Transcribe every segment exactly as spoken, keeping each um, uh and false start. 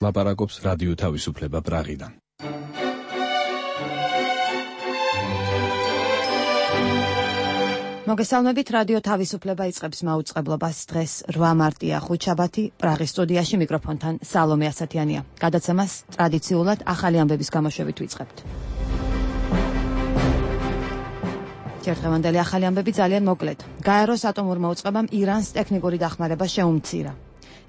ლაპარაკობს რადიო თავისუფლება პრაღიდან. მოგესალმებით, რადიო თავისუფლება იწყებს მაუწყებლობას. დღეს რვა მარტია, ხუთშაბათი, პრაღის სტუდიაში მიკროფონთან სალომე ასათიანია. გადაცემას ტრადიციულად ახალი ამბების გამოშვებით ვიწყებთ. ჯერთხევანდელი ახალი ამბები ძალიან მოკლედ. გაეროს ატომურმა უწყებამ ირანს ტექნიკური დახმარება შეუმცირა.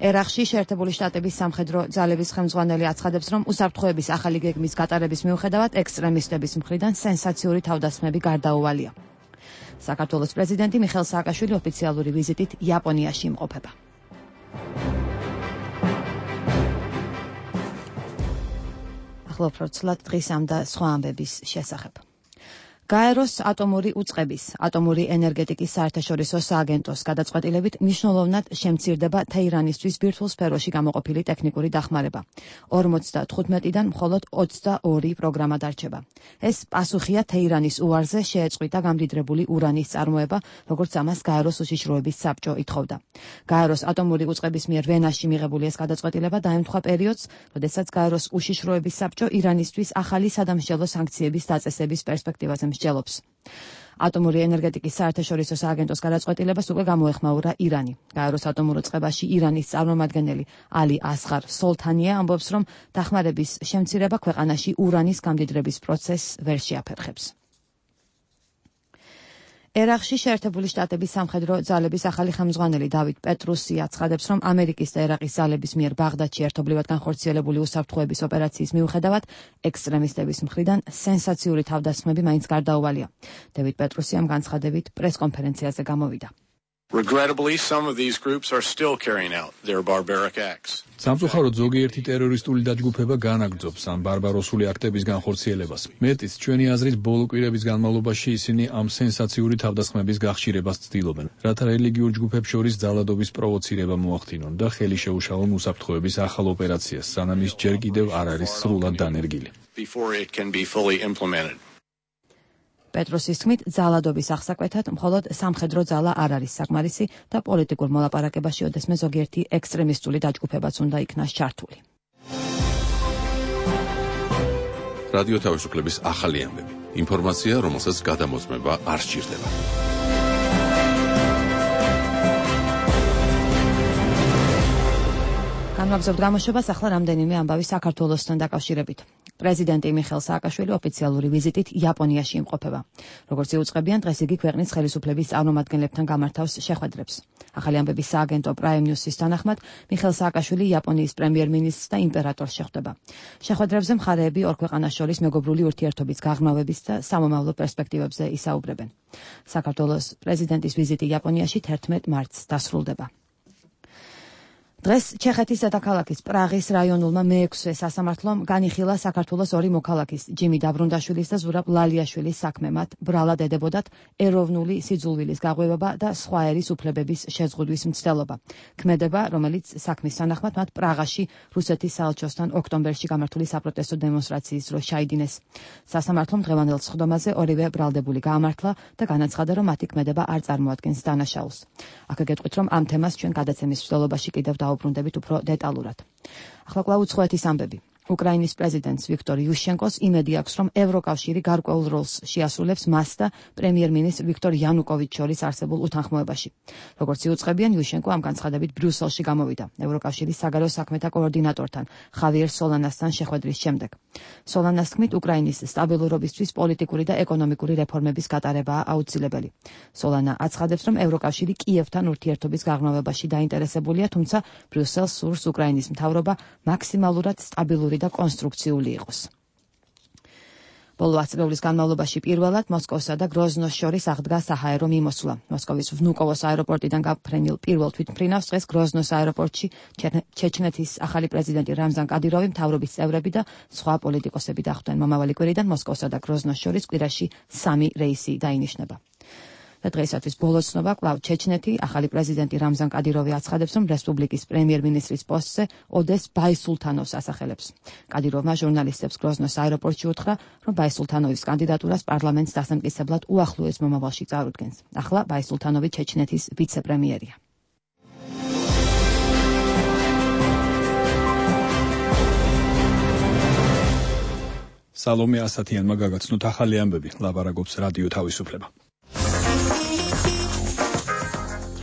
ერაყში შეერთებული შტატების სამხედრო ძალების ხელმძღვანელი აცხადებს, რომ უსაფრთხოების ახალი გეგმის გატარების მიუხედავად ექსტრემისტების მხრიდან სენსაციური თავდასხმები გარდაუვალია. საქართველოს პრეზიდენტი მიხეილ სააკაშვილი ოფიციალური ვიზიტით იაპონიაში იმყოფება. ახლა უფრო ცლად დღის ამ და სხვა ამბების შესახებ. გაეროს ატომური უწყების, ატომური ენერგეტიკის საერთაშორისო სააგენტოს გადაწყვეტილებით მნიშვნელოვნად შემცირდება თეირანისთვის ბირთვულ სფეროში გამოყოფილი ტექნიკური დახმარება. ორმოცდათხუთმეტიდან მხოლოდ ოცდაორი პროგრამა დარჩება. ეს პასუხია თეირანის უარზე შეეწყვიტა გამდიდრებული ურანის წარმოება, როგორც ამას გაეროს უშიშროების საბჭო ითხოვდა. გაეროს ატომური უწყების მიერ ვენაში მიღებული ეს გადაწყვეტილება დაემთხვა პერიოდს, როდესაც გაეროს უშიშროების საბჭო ირანისთვის ახალი სადამსჯელო სანქციების დაწესების პერსპექტივაზე მსჯელობს. ატომური ენერგეტიკის საერთაშორისო სააგენტოს გადაწყვეტილებას უკვე გამოეხმაურა ირანი. გაეროს ატომურ უწყებაში ირანის წარმომადგენელი ალი ასღარ სოლთანია ამბობს, რომ დახმარების შემცირება ქვეყანაში ურანის გამდიდრების პროცესს ვერ შეაფერხებს. ერაყში შეერთებული შტატების სამხედრო ძალების ახალი ხელმძღვანელი დავით პეტრუსი აცხადებს, რომ ამერიკის და ერაყის ძალების მიერ ბაღდადში ერთობლივად განხორციელებული უსაფრთხოების ოპერაციის მიუხედავად ექსტრემისტების მხრიდან სენსაციური თავდასხმები მაინც გარდაუვალია. დავით პეტრუსი ამ განცხადებით პრესკონფერენციაზე გამოვიდა. Regrettably, some of these groups are still carrying out their barbaric acts. სამწუხაროდ ზოგიერთი ტერორისტული დაჯგუფება განაგრძობს ამ ბარბაროსული აქტების განხორციელებას. მეტიც, ჩვენი აზრით, ბოლო კვირების განმავლობაში ისინი ამ სენსაციური თავდასხმების გახშირებას ცდილობენ, რათა რელიგიურ ჯგუფებს შორის ძალადობის პროვოცირება მოახდინონ და ხელი შეუშალონ უსაფრთხოების ახალ ოპერაციას, სანამ ის ჯერ კიდევ არ არის სრულად დანერგილი. Before it can be fully implemented. პეტროსის თქმით, ძალადობის აღსაკვეთად მხოლოდ სამხედრო ძალა არ არის საკმარისი და პოლიტიკურ მოლაპარაკებაში ოდესმე ზოგიერთი ექსტრემისტული დაჯგუფებაც უნდა იქნას ჩართული. რადიო თავისუფლების ახალი ამბები. ინფორმაცია, რომელსაც გადამოწმება არ სჭირდება. განვაგრძობთ გამოშვებას, ახლა რამდენიმე ამბავი საქართველოსთან დაკავშირებით. პრეზიდენტი მიხეილ სააკაშვილი ოფიციალური ვიზიტით იაპონიაში იმყოფება. როგორც იუწყებიან, დღეს იგი ქვეყნის ხელისუფლების წარმომადგენლებთან გამართავს შეხვედრებს. ახალი ამბების სააგენტო Prime News-ის თანახმად, მიხეილ სააკაშვილი იაპონიის პრემიერ-მინისტრს და იმპერატორს შეხვდება. შეხვედრებზე მხარეები ორ ქვეყანას შორის მეგობრული ურთიერთობის გაღრმავების და სამომავლო პერსპექტივებზე ისაუბრებენ. საქართველოს პრეზიდენტის ვიზიტი იაპონიაში თერთმეტ მარტს დასრულდება. დღეს ჩეხეთის დედაქალაქის პრაღის რაიონულმა მეექვსე სასამართლომ განიხილა საქართველოს ორი მოქალაქის, ჯიმი დაბრუნდაშვილის და ზურაბ ლალიაშვილის საქმე. მათ ბრალად ედებოდათ ეროვნული სიძულვილის გაღვივება და სხვა ერის უფლებების შეზღუდვის მცდელობა. ქმედება, რომელიც საქმის თანახმად მათ პრაღაში რუსეთის საელჩოსთან ოქტომბერში გამართული საპროტესტო დემონსტრაციის დროს ჩაიდინეს. სასამართლომ დღევანდელ სხდომაზე ორივე ბრალდებული გაამართლა და განაცხადა, რომ მათი ქმედება არ წარმოადგენს დანაშაულს. აქ გეტყვით, რომ ამ თემას ჩვენ გადაცემის მსვლელობაში კიდევ დაუბრუნდებით უფრო დეტალურად. ახლა კვლავ უცხოეთის ამბები. უკრაინის პრეზიდენტს ვიქტორ იუშენკოს იმედი აქვს, რომ ევროკავშირი გარკვეულ როლს შეასრულებს მას და პრემიერ-მინისტრ ვიქტორ იანუკოვიჩს შორის არსებულ უთანხმოებაში. როგორც იუწყებიან, იუშენკო ამ განცხადებით ბრიუსელში გამოვიდა ევროკავშირის საგარეო საქმეთა კოორდინატორთან ხავიერ სოლანასთან შეხვედრის შემდეგ. სოლანას თქმით, უკრაინის სტაბილურობისთვის პოლიტიკური და ეკონომიკური რეფორმების გატარებაა აუცილებელი. სოლანა აცხადებს, რომ ევროკავშირი კიევთან ურთიერთობის გაღრმავებაში დაინტერესებულია, თუმცა ბრიუსელს სურს უკრაინის მთავრობა მაქსიმალურად სტაბილური და კონსტრუქციული იყოს. ბოლო ათი წლის განმავლობაში პირველად მოსკოვსა და გროზნოს შორის აღდგა საჰაერო მიმოსვლა. მოსკოვის ვნუკოვოს აეროპორტიდან გაფრენილ პირველ თვითმფრინავს დღეს გროზნოს აეროპორტში ჩეჩნეთის ახალი პრეზიდენტი რამზან კადიროვი, მთავრობის წევრები და სხვა პოლიტიკოსები დახვდნენ. მომავალი კვირიდან მოსკოვსა და გროზნოს შორის კვირაში სამი რეისი დაინიშნება. და დღეისათვის ბოლო ცნობა კვლავ ჩეჩნეთი, ახალი პრეზიდენტი რამზან კადიროვი აცხადებს, რომ რესპუბლიკის პრემიერ-მინისტრის პოსტზე ოდეს ბაისულთანოვს ასახელებს. კადიროვმა ჟურნალისტებს გროზნოს აეროპორტში უთხრა, რომ ბაისულთანოვის კანდიდატურას პარლამენტს დასამტკიცებლად უახლოეს მომავალში წარუდგენს. ახლა ბაისულთანოვი ჩეჩნეთის ვიცე-პრემიერია. სალომე ასათიანმა გაგაცნოთ ახალი ამბები, ლაპარაკობს რადიო თავისუფლება.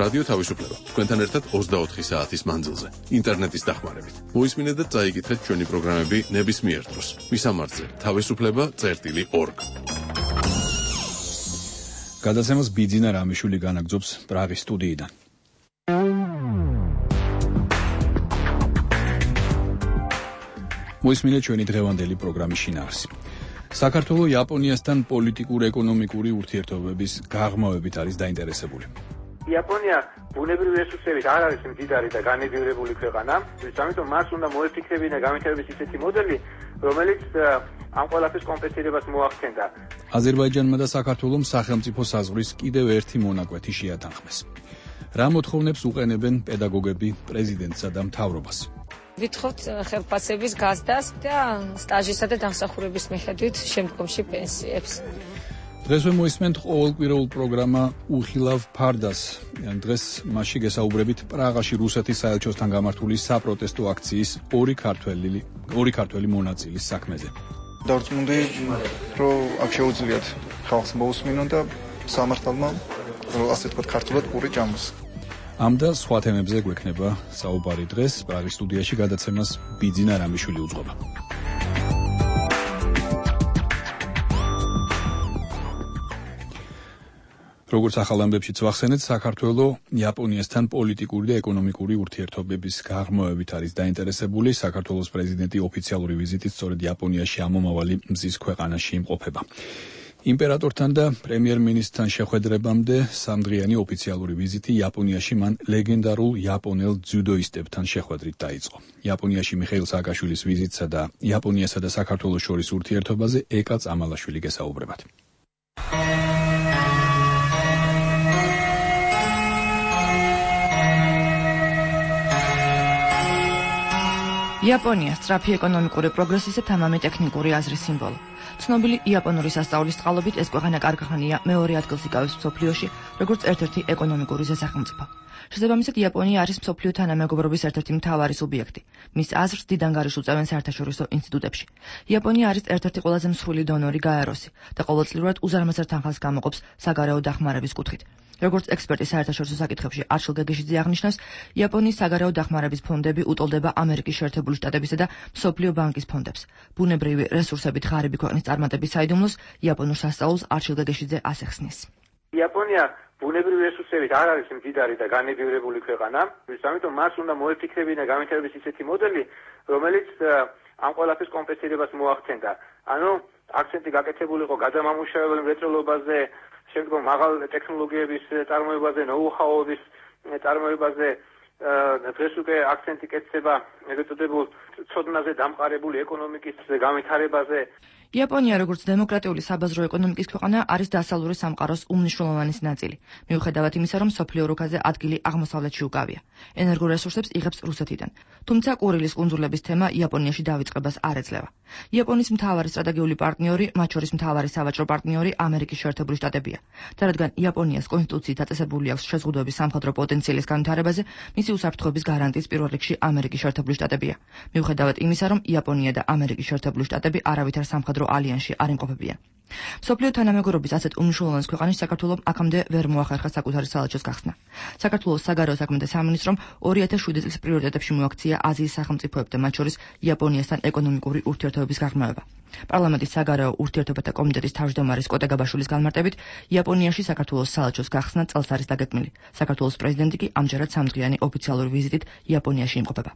რადიო თავისუფლება. თქვენთან ერთად ოცდაოთხი საათის მანძილზე, ინტერნეტის დახმარებით. მოისმინეთ და წაიკითხეთ ჩვენი პროგრამები ნებისმიერ დროს. მისამართზე თავისუფლება წერტილი ორგ. გადაცემას ბიძინა რამიშვილი განაგრძობს პრაღის სტუდიიდან. მოისმინეთ ჩვენი დღევანდელი პროგრამის შინაარსი. საქართველო იაპონიასთან პოლიტიკურ-ეკონომიკური ურთიერთობების გაღრმავებით არის დაინტერესებული. იაპონია ბუნებრივი რესურსებით არ არის მდიდარი და განებივრებული ქვეყანა, ამიტომ მას უნდა მოეფიქრებინა განვითარების ისეთი მოდელი, რომელიც ამ ყველაფრის კომპენსირებას მოახდენდა. აზერბაიჯანმა და საქართველომ სახელმწიფო საზღვრის კიდევ ერთი მონაკვეთი შეათანხმეს. რა მოთხოვნებს უყენებენ პედაგოგები პრეზიდენტსა და მთავრობას? ვითხოვთ ხელფასების გაზდას და სტაჟისა და დამსახურების მიხედვით შემდგომში პენსიებს. დღესვე მოისმენთ ყოველკვირეულ პროგრამა უხილავ ფარდას. დღეს მასში გესაუბრებით პრაღაში რუსეთის საელჩოსთან გამართული საპროტესტო აქციის ორი ქართველი ორი ქართველი მონაწილის საქმეზე. დავწმუნდი, რომ აქ შეუძლიათ ხალხს მოусმინონ და სამართალმა, ასე თქვა, ქართულად პური ჭამოს. ამ და სხვა თემებზე გვექნება საუბარი დღეს პრაღის სტუდიაში გადაცემას ბიძინა რამიშვილი უძღვება. როგორც ახალ ამბებშიც ვახსენეთ, საქართველო იაპონიასთან პოლიტიკური და ეკონომიკური ურთიერთობების გაღრმავებით არის დაინტერესებული. საქართველოს პრეზიდენტი ოფიციალური ვიზიტით სწორედ იაპონიაში ამომავალი მზის ქვეყანაში იმყოფება. იმპერატორთან და პრემიერ-მინისტრთან შეხვედრებამდე სამდღიანი ოფიციალური ვიზიტი იაპონიაში მან ლეგენდარულ იაპონელ ძიუდოისტებთან შეხვედრით დაიწყო. იაპონიაში მიხეილ სააკაშვილის ვიზიტსა და იაპონიასა და საქართველოს შორის ურთიერთობაზე ეკა წამალაშვილი გესაუბრებათ. იაპონია სწრაფი ეკონომიკური პროგრესის და თამამი ტექნიკური აზრის სიმბოლო. ცნობილი იაპონური სასწავლის წყალობით ეს ქვეყანა კარგახანია მეორე ადგილს იკავებს მსოფლიოში, როგორც ერთ-ერთი ეკონომიკური ზესახელმწიფო. შესაბამისად, იაპონია არის მსოფლიო თანამეგობრობის ერთ-ერთი მთავარი სუბიექტი. მის აზრს დიდ ანგარიშს უწევენ საერთაშორისო ინსტიტუტებში. იაპონია არის ერთ-ერთი ყველაზე მსხვილი დონორი გაეროსი და ყოველწლიურად უზარმაზარ თანხას გამოყოფს საგარეო დახმარების კუთხით. როგორც ექსპერტი საერთაშორისო საკითხებში არჩილ გეგეშიძე აღნიშნავს, იაპონიის საგარეო დახმარების ფონდები უტოლდება ამერიკის შეერთებული შტატებისა და მსოფლიო ბანკის ფონდებს. ბუნებრივი რესურსებით ღარიბი ქვეყნის წარმატების საიდუმლოს იაპონურ სასწაულს არჩილ გეგეშიძე ასე ხსნის. იაპონია ბუნებრივი რესურსებით არ არის მდიდარი და განებივრებული ქვეყანა, ამიტომ მას უნდა მოეფიქრებინა განვითარების ისეთი მოდელი, რომელიც ამ ყველაფრის კომპენსირებას მოახდენდა. ანუ აქცენტი გაკეთებული იყო გადამამუშავებელი მრეწველობაზე, შემდგომ მაღალ ტექნოლოგიების წარმოებაზე, ნოუ-ჰაუების წარმოებაზე, დღეს უკვე აქცენტი კეთდება ეგრეთ წოდებულ ცოდნაზე დამყარებული ეკონომიკის განვითარებაზე. იაპონია როგორც დემოკრატიული საბაზრო ეკონომიკის ქვეყანა არის დასავლური სამყაროს უმნიშვნელოვანესი ნაწილი. მიუხედავად იმისა, რომ მსოფლიო რუკაზე ადგილი აღმოსავლეთში უკავია. ენერგორესურსებს იღებს რუსეთიდან. თუმცა კურილის კუნძულების თემა იაპონიაში დავიწყებას არ ეძლევა. იაპონიის მთავარი სტრატეგიული პარტნიორი, მათ შორის მთავარი სავაჭრო პარტნიორი ამერიკის შეერთებული შტატებია. და რადგან იაპონიას კონსტიტუციით დაწესებული აქვს შეზღუდვები სამხედრო პოტენციალის განვითარებაზე, მისი უსაფრთხოების გარანტიის პირველ რიგში ამერიკის შეერთებული შტატებია. მიუხედავად იმისა, რომ იაპონია და ამერიკის შეერთებული შტატები არავითარ სამხედრო ალიანსში არ იმყოფებიან. მსოფლიო თანამეგობრობის ასეთ უმნიშვნელოვანეს ქვეყანაში საქართველოს აქამდე ვერ მოახერხა საკუთარი საელჩოს გახსნა. საქართველოს საგარეო საქმეთა სამინისტრომ ორი ათას შვიდი წლის პრიორიტეტებში მოაქცია აზიის სახელმწიფოებთან, მათ შორის იაპონიასთან ეკონომიკური ურთიერთობების გაღრმავება. პარლამენტის საგარეო ურთიერთობათა კომიტეტის თავმჯდომარის კოტე გაბაშვილის განმარტებით, იაპონიაში საქართველოს საელჩოს გახსნა წელს არის დაგეგმილი. საქართველოს პრეზიდენტი კი ამჯერად სამდღიანი ოფიციალური ვიზიტით იაპონიაში იმყოფება.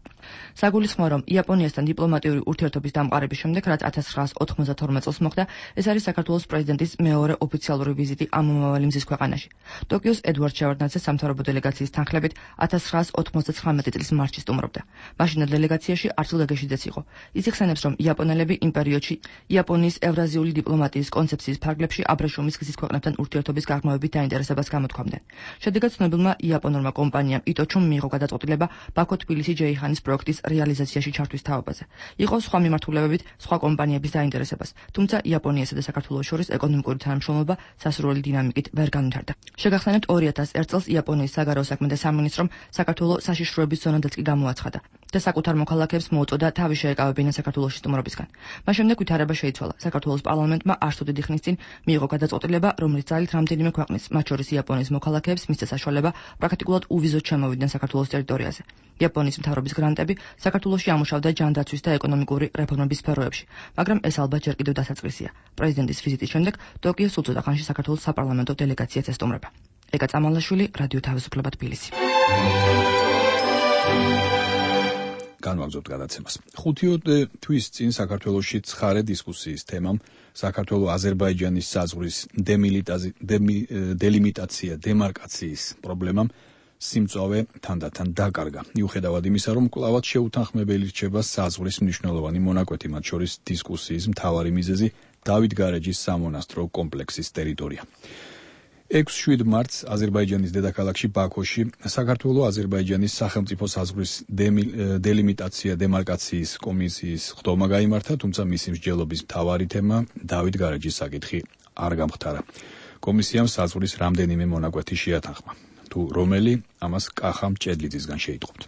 საგულისხმოა, რომ იაპონიასთან დიპლომატიური ურთიერთობის დამყარების შემდეგ, რაც ათას ცხრაას ოთხმოცდათორმეტ წელს მოხდა, ეს არის საქართველოს პრეზიდენტის მეორე ოფიციალური ვიზიტი ამომავალი მზის ქვეყანაში. ტოკიოს ედვარდ შევარდნაძე სამთავრობო დელეგაციის თანხლებით ათას ცხრაას ოთხმოცდათხრამეტ წლის მარტში სტუმრობდა. მაშინდელ დელეგაციაში არჩილ გეგეშიძეც იყო. ის იხსენებს, რომ იაპონელები იმ პერიოდში იაპონიის ევრაზიული დიპლომატიის კონცეფციის ფარგლებში აბრეშუმის გზის ქვეყნებთან ურთიერთობის გაღრმავებით დაინტერესებას გამოთქვამდნენ. შედეგად ცნობილმა იაპონურმა კომპანიამ იტოჩუმ მიიღო გადაწყვეტილება ბაქო-თბილისი-ჯეიხანის პროექტის რეალიზაციაში ჩართვის თაობაზე. იყო სხვა მიმართულებებით სხვა კომპანიების დაინტერესებას, თუმცა იაპონიასა და საქართველოს შორის ეკონომიკური თანამშრომლობა სასურველი დინამიკით ვერ განვითარდა. შეგახსენებთ ორი ათას ერთ წელს იაპონია იაპონიის საგარეო საქმეთა სამინისტრომ საქართველოს საშიშროების ზონადაც კი გამოაცხადა და საკუთარ მოქალაქეებს მოუწოდა თავი შეეკავებინათ საქართველოში სტუმრობისგან. მას შემდეგ ვითარება შეიცვალა. საქართველოს პარლამენტმა არ სულ დიდი ხნის წინ მიიღო გადაწყვეტილება, რომლის ძალით რამდენიმე ქვეყნის, მათ შორის იაპონიის მოქალაქეებს მისცა საშუალება პრაქტიკულად უვიზოდ შემოვიდნენ საქართველოს ტერიტორიაზე. იაპონიის მთავრობის გრანტები საქართველოში ამუშავდა ჯანდაცვის და ეკონომიკური რეფორმების სფეროებში, მაგრამ ეს ალბათ ჯერ კიდევ დასაწყისია. პრეზიდენტის ვიზიტის შემდეგ ტოკიოს უწოდა ხანში საქართველოს საპარლამენტო დელეგაციაც ესტუმრება. ეკა წამალაშვილი, რადიო თავისუფლება, თბილისი. განვაგრძობთ გადაცემას. ხუთი თვის წინ საქართველოში ცხარე დისკუსიის თემამ საქართველო-აზერბაიჯანის საზღვრის დელიმიტაცია, დემარკაციის პრობლემამ სიმწვავე თანდათან დაკარგა. მიუხედავად იმისა, რომ კვლავაც შეუთანხმებელი რჩება საზღვრის მნიშვნელოვანი მონაკვეთი, მათ შორის დისკუსიის მთავარი მიზეზი დავით გარეჯის სამონასტრო კომპლექსის ტერიტორია. ექვსი მარტს აზერბაიჯანის დედაქალაქში ბაქოში საქართველო-აზერბაიჯანის სახელმწიფო საზღვრის დელიმიტაცია დემარკაციის კომისიის ხდომა გაიმართა, თუმცა მისი მსჯელობის მთავარი თემა დავით გარეჯის საკითხი არ გამხდარა. კომისიამ საზღვრის რამდენიმე მონაკვეთი შეათანხმა. თუ რომელი, ამას კახა მჭედლიძისგან შეიტყობთ.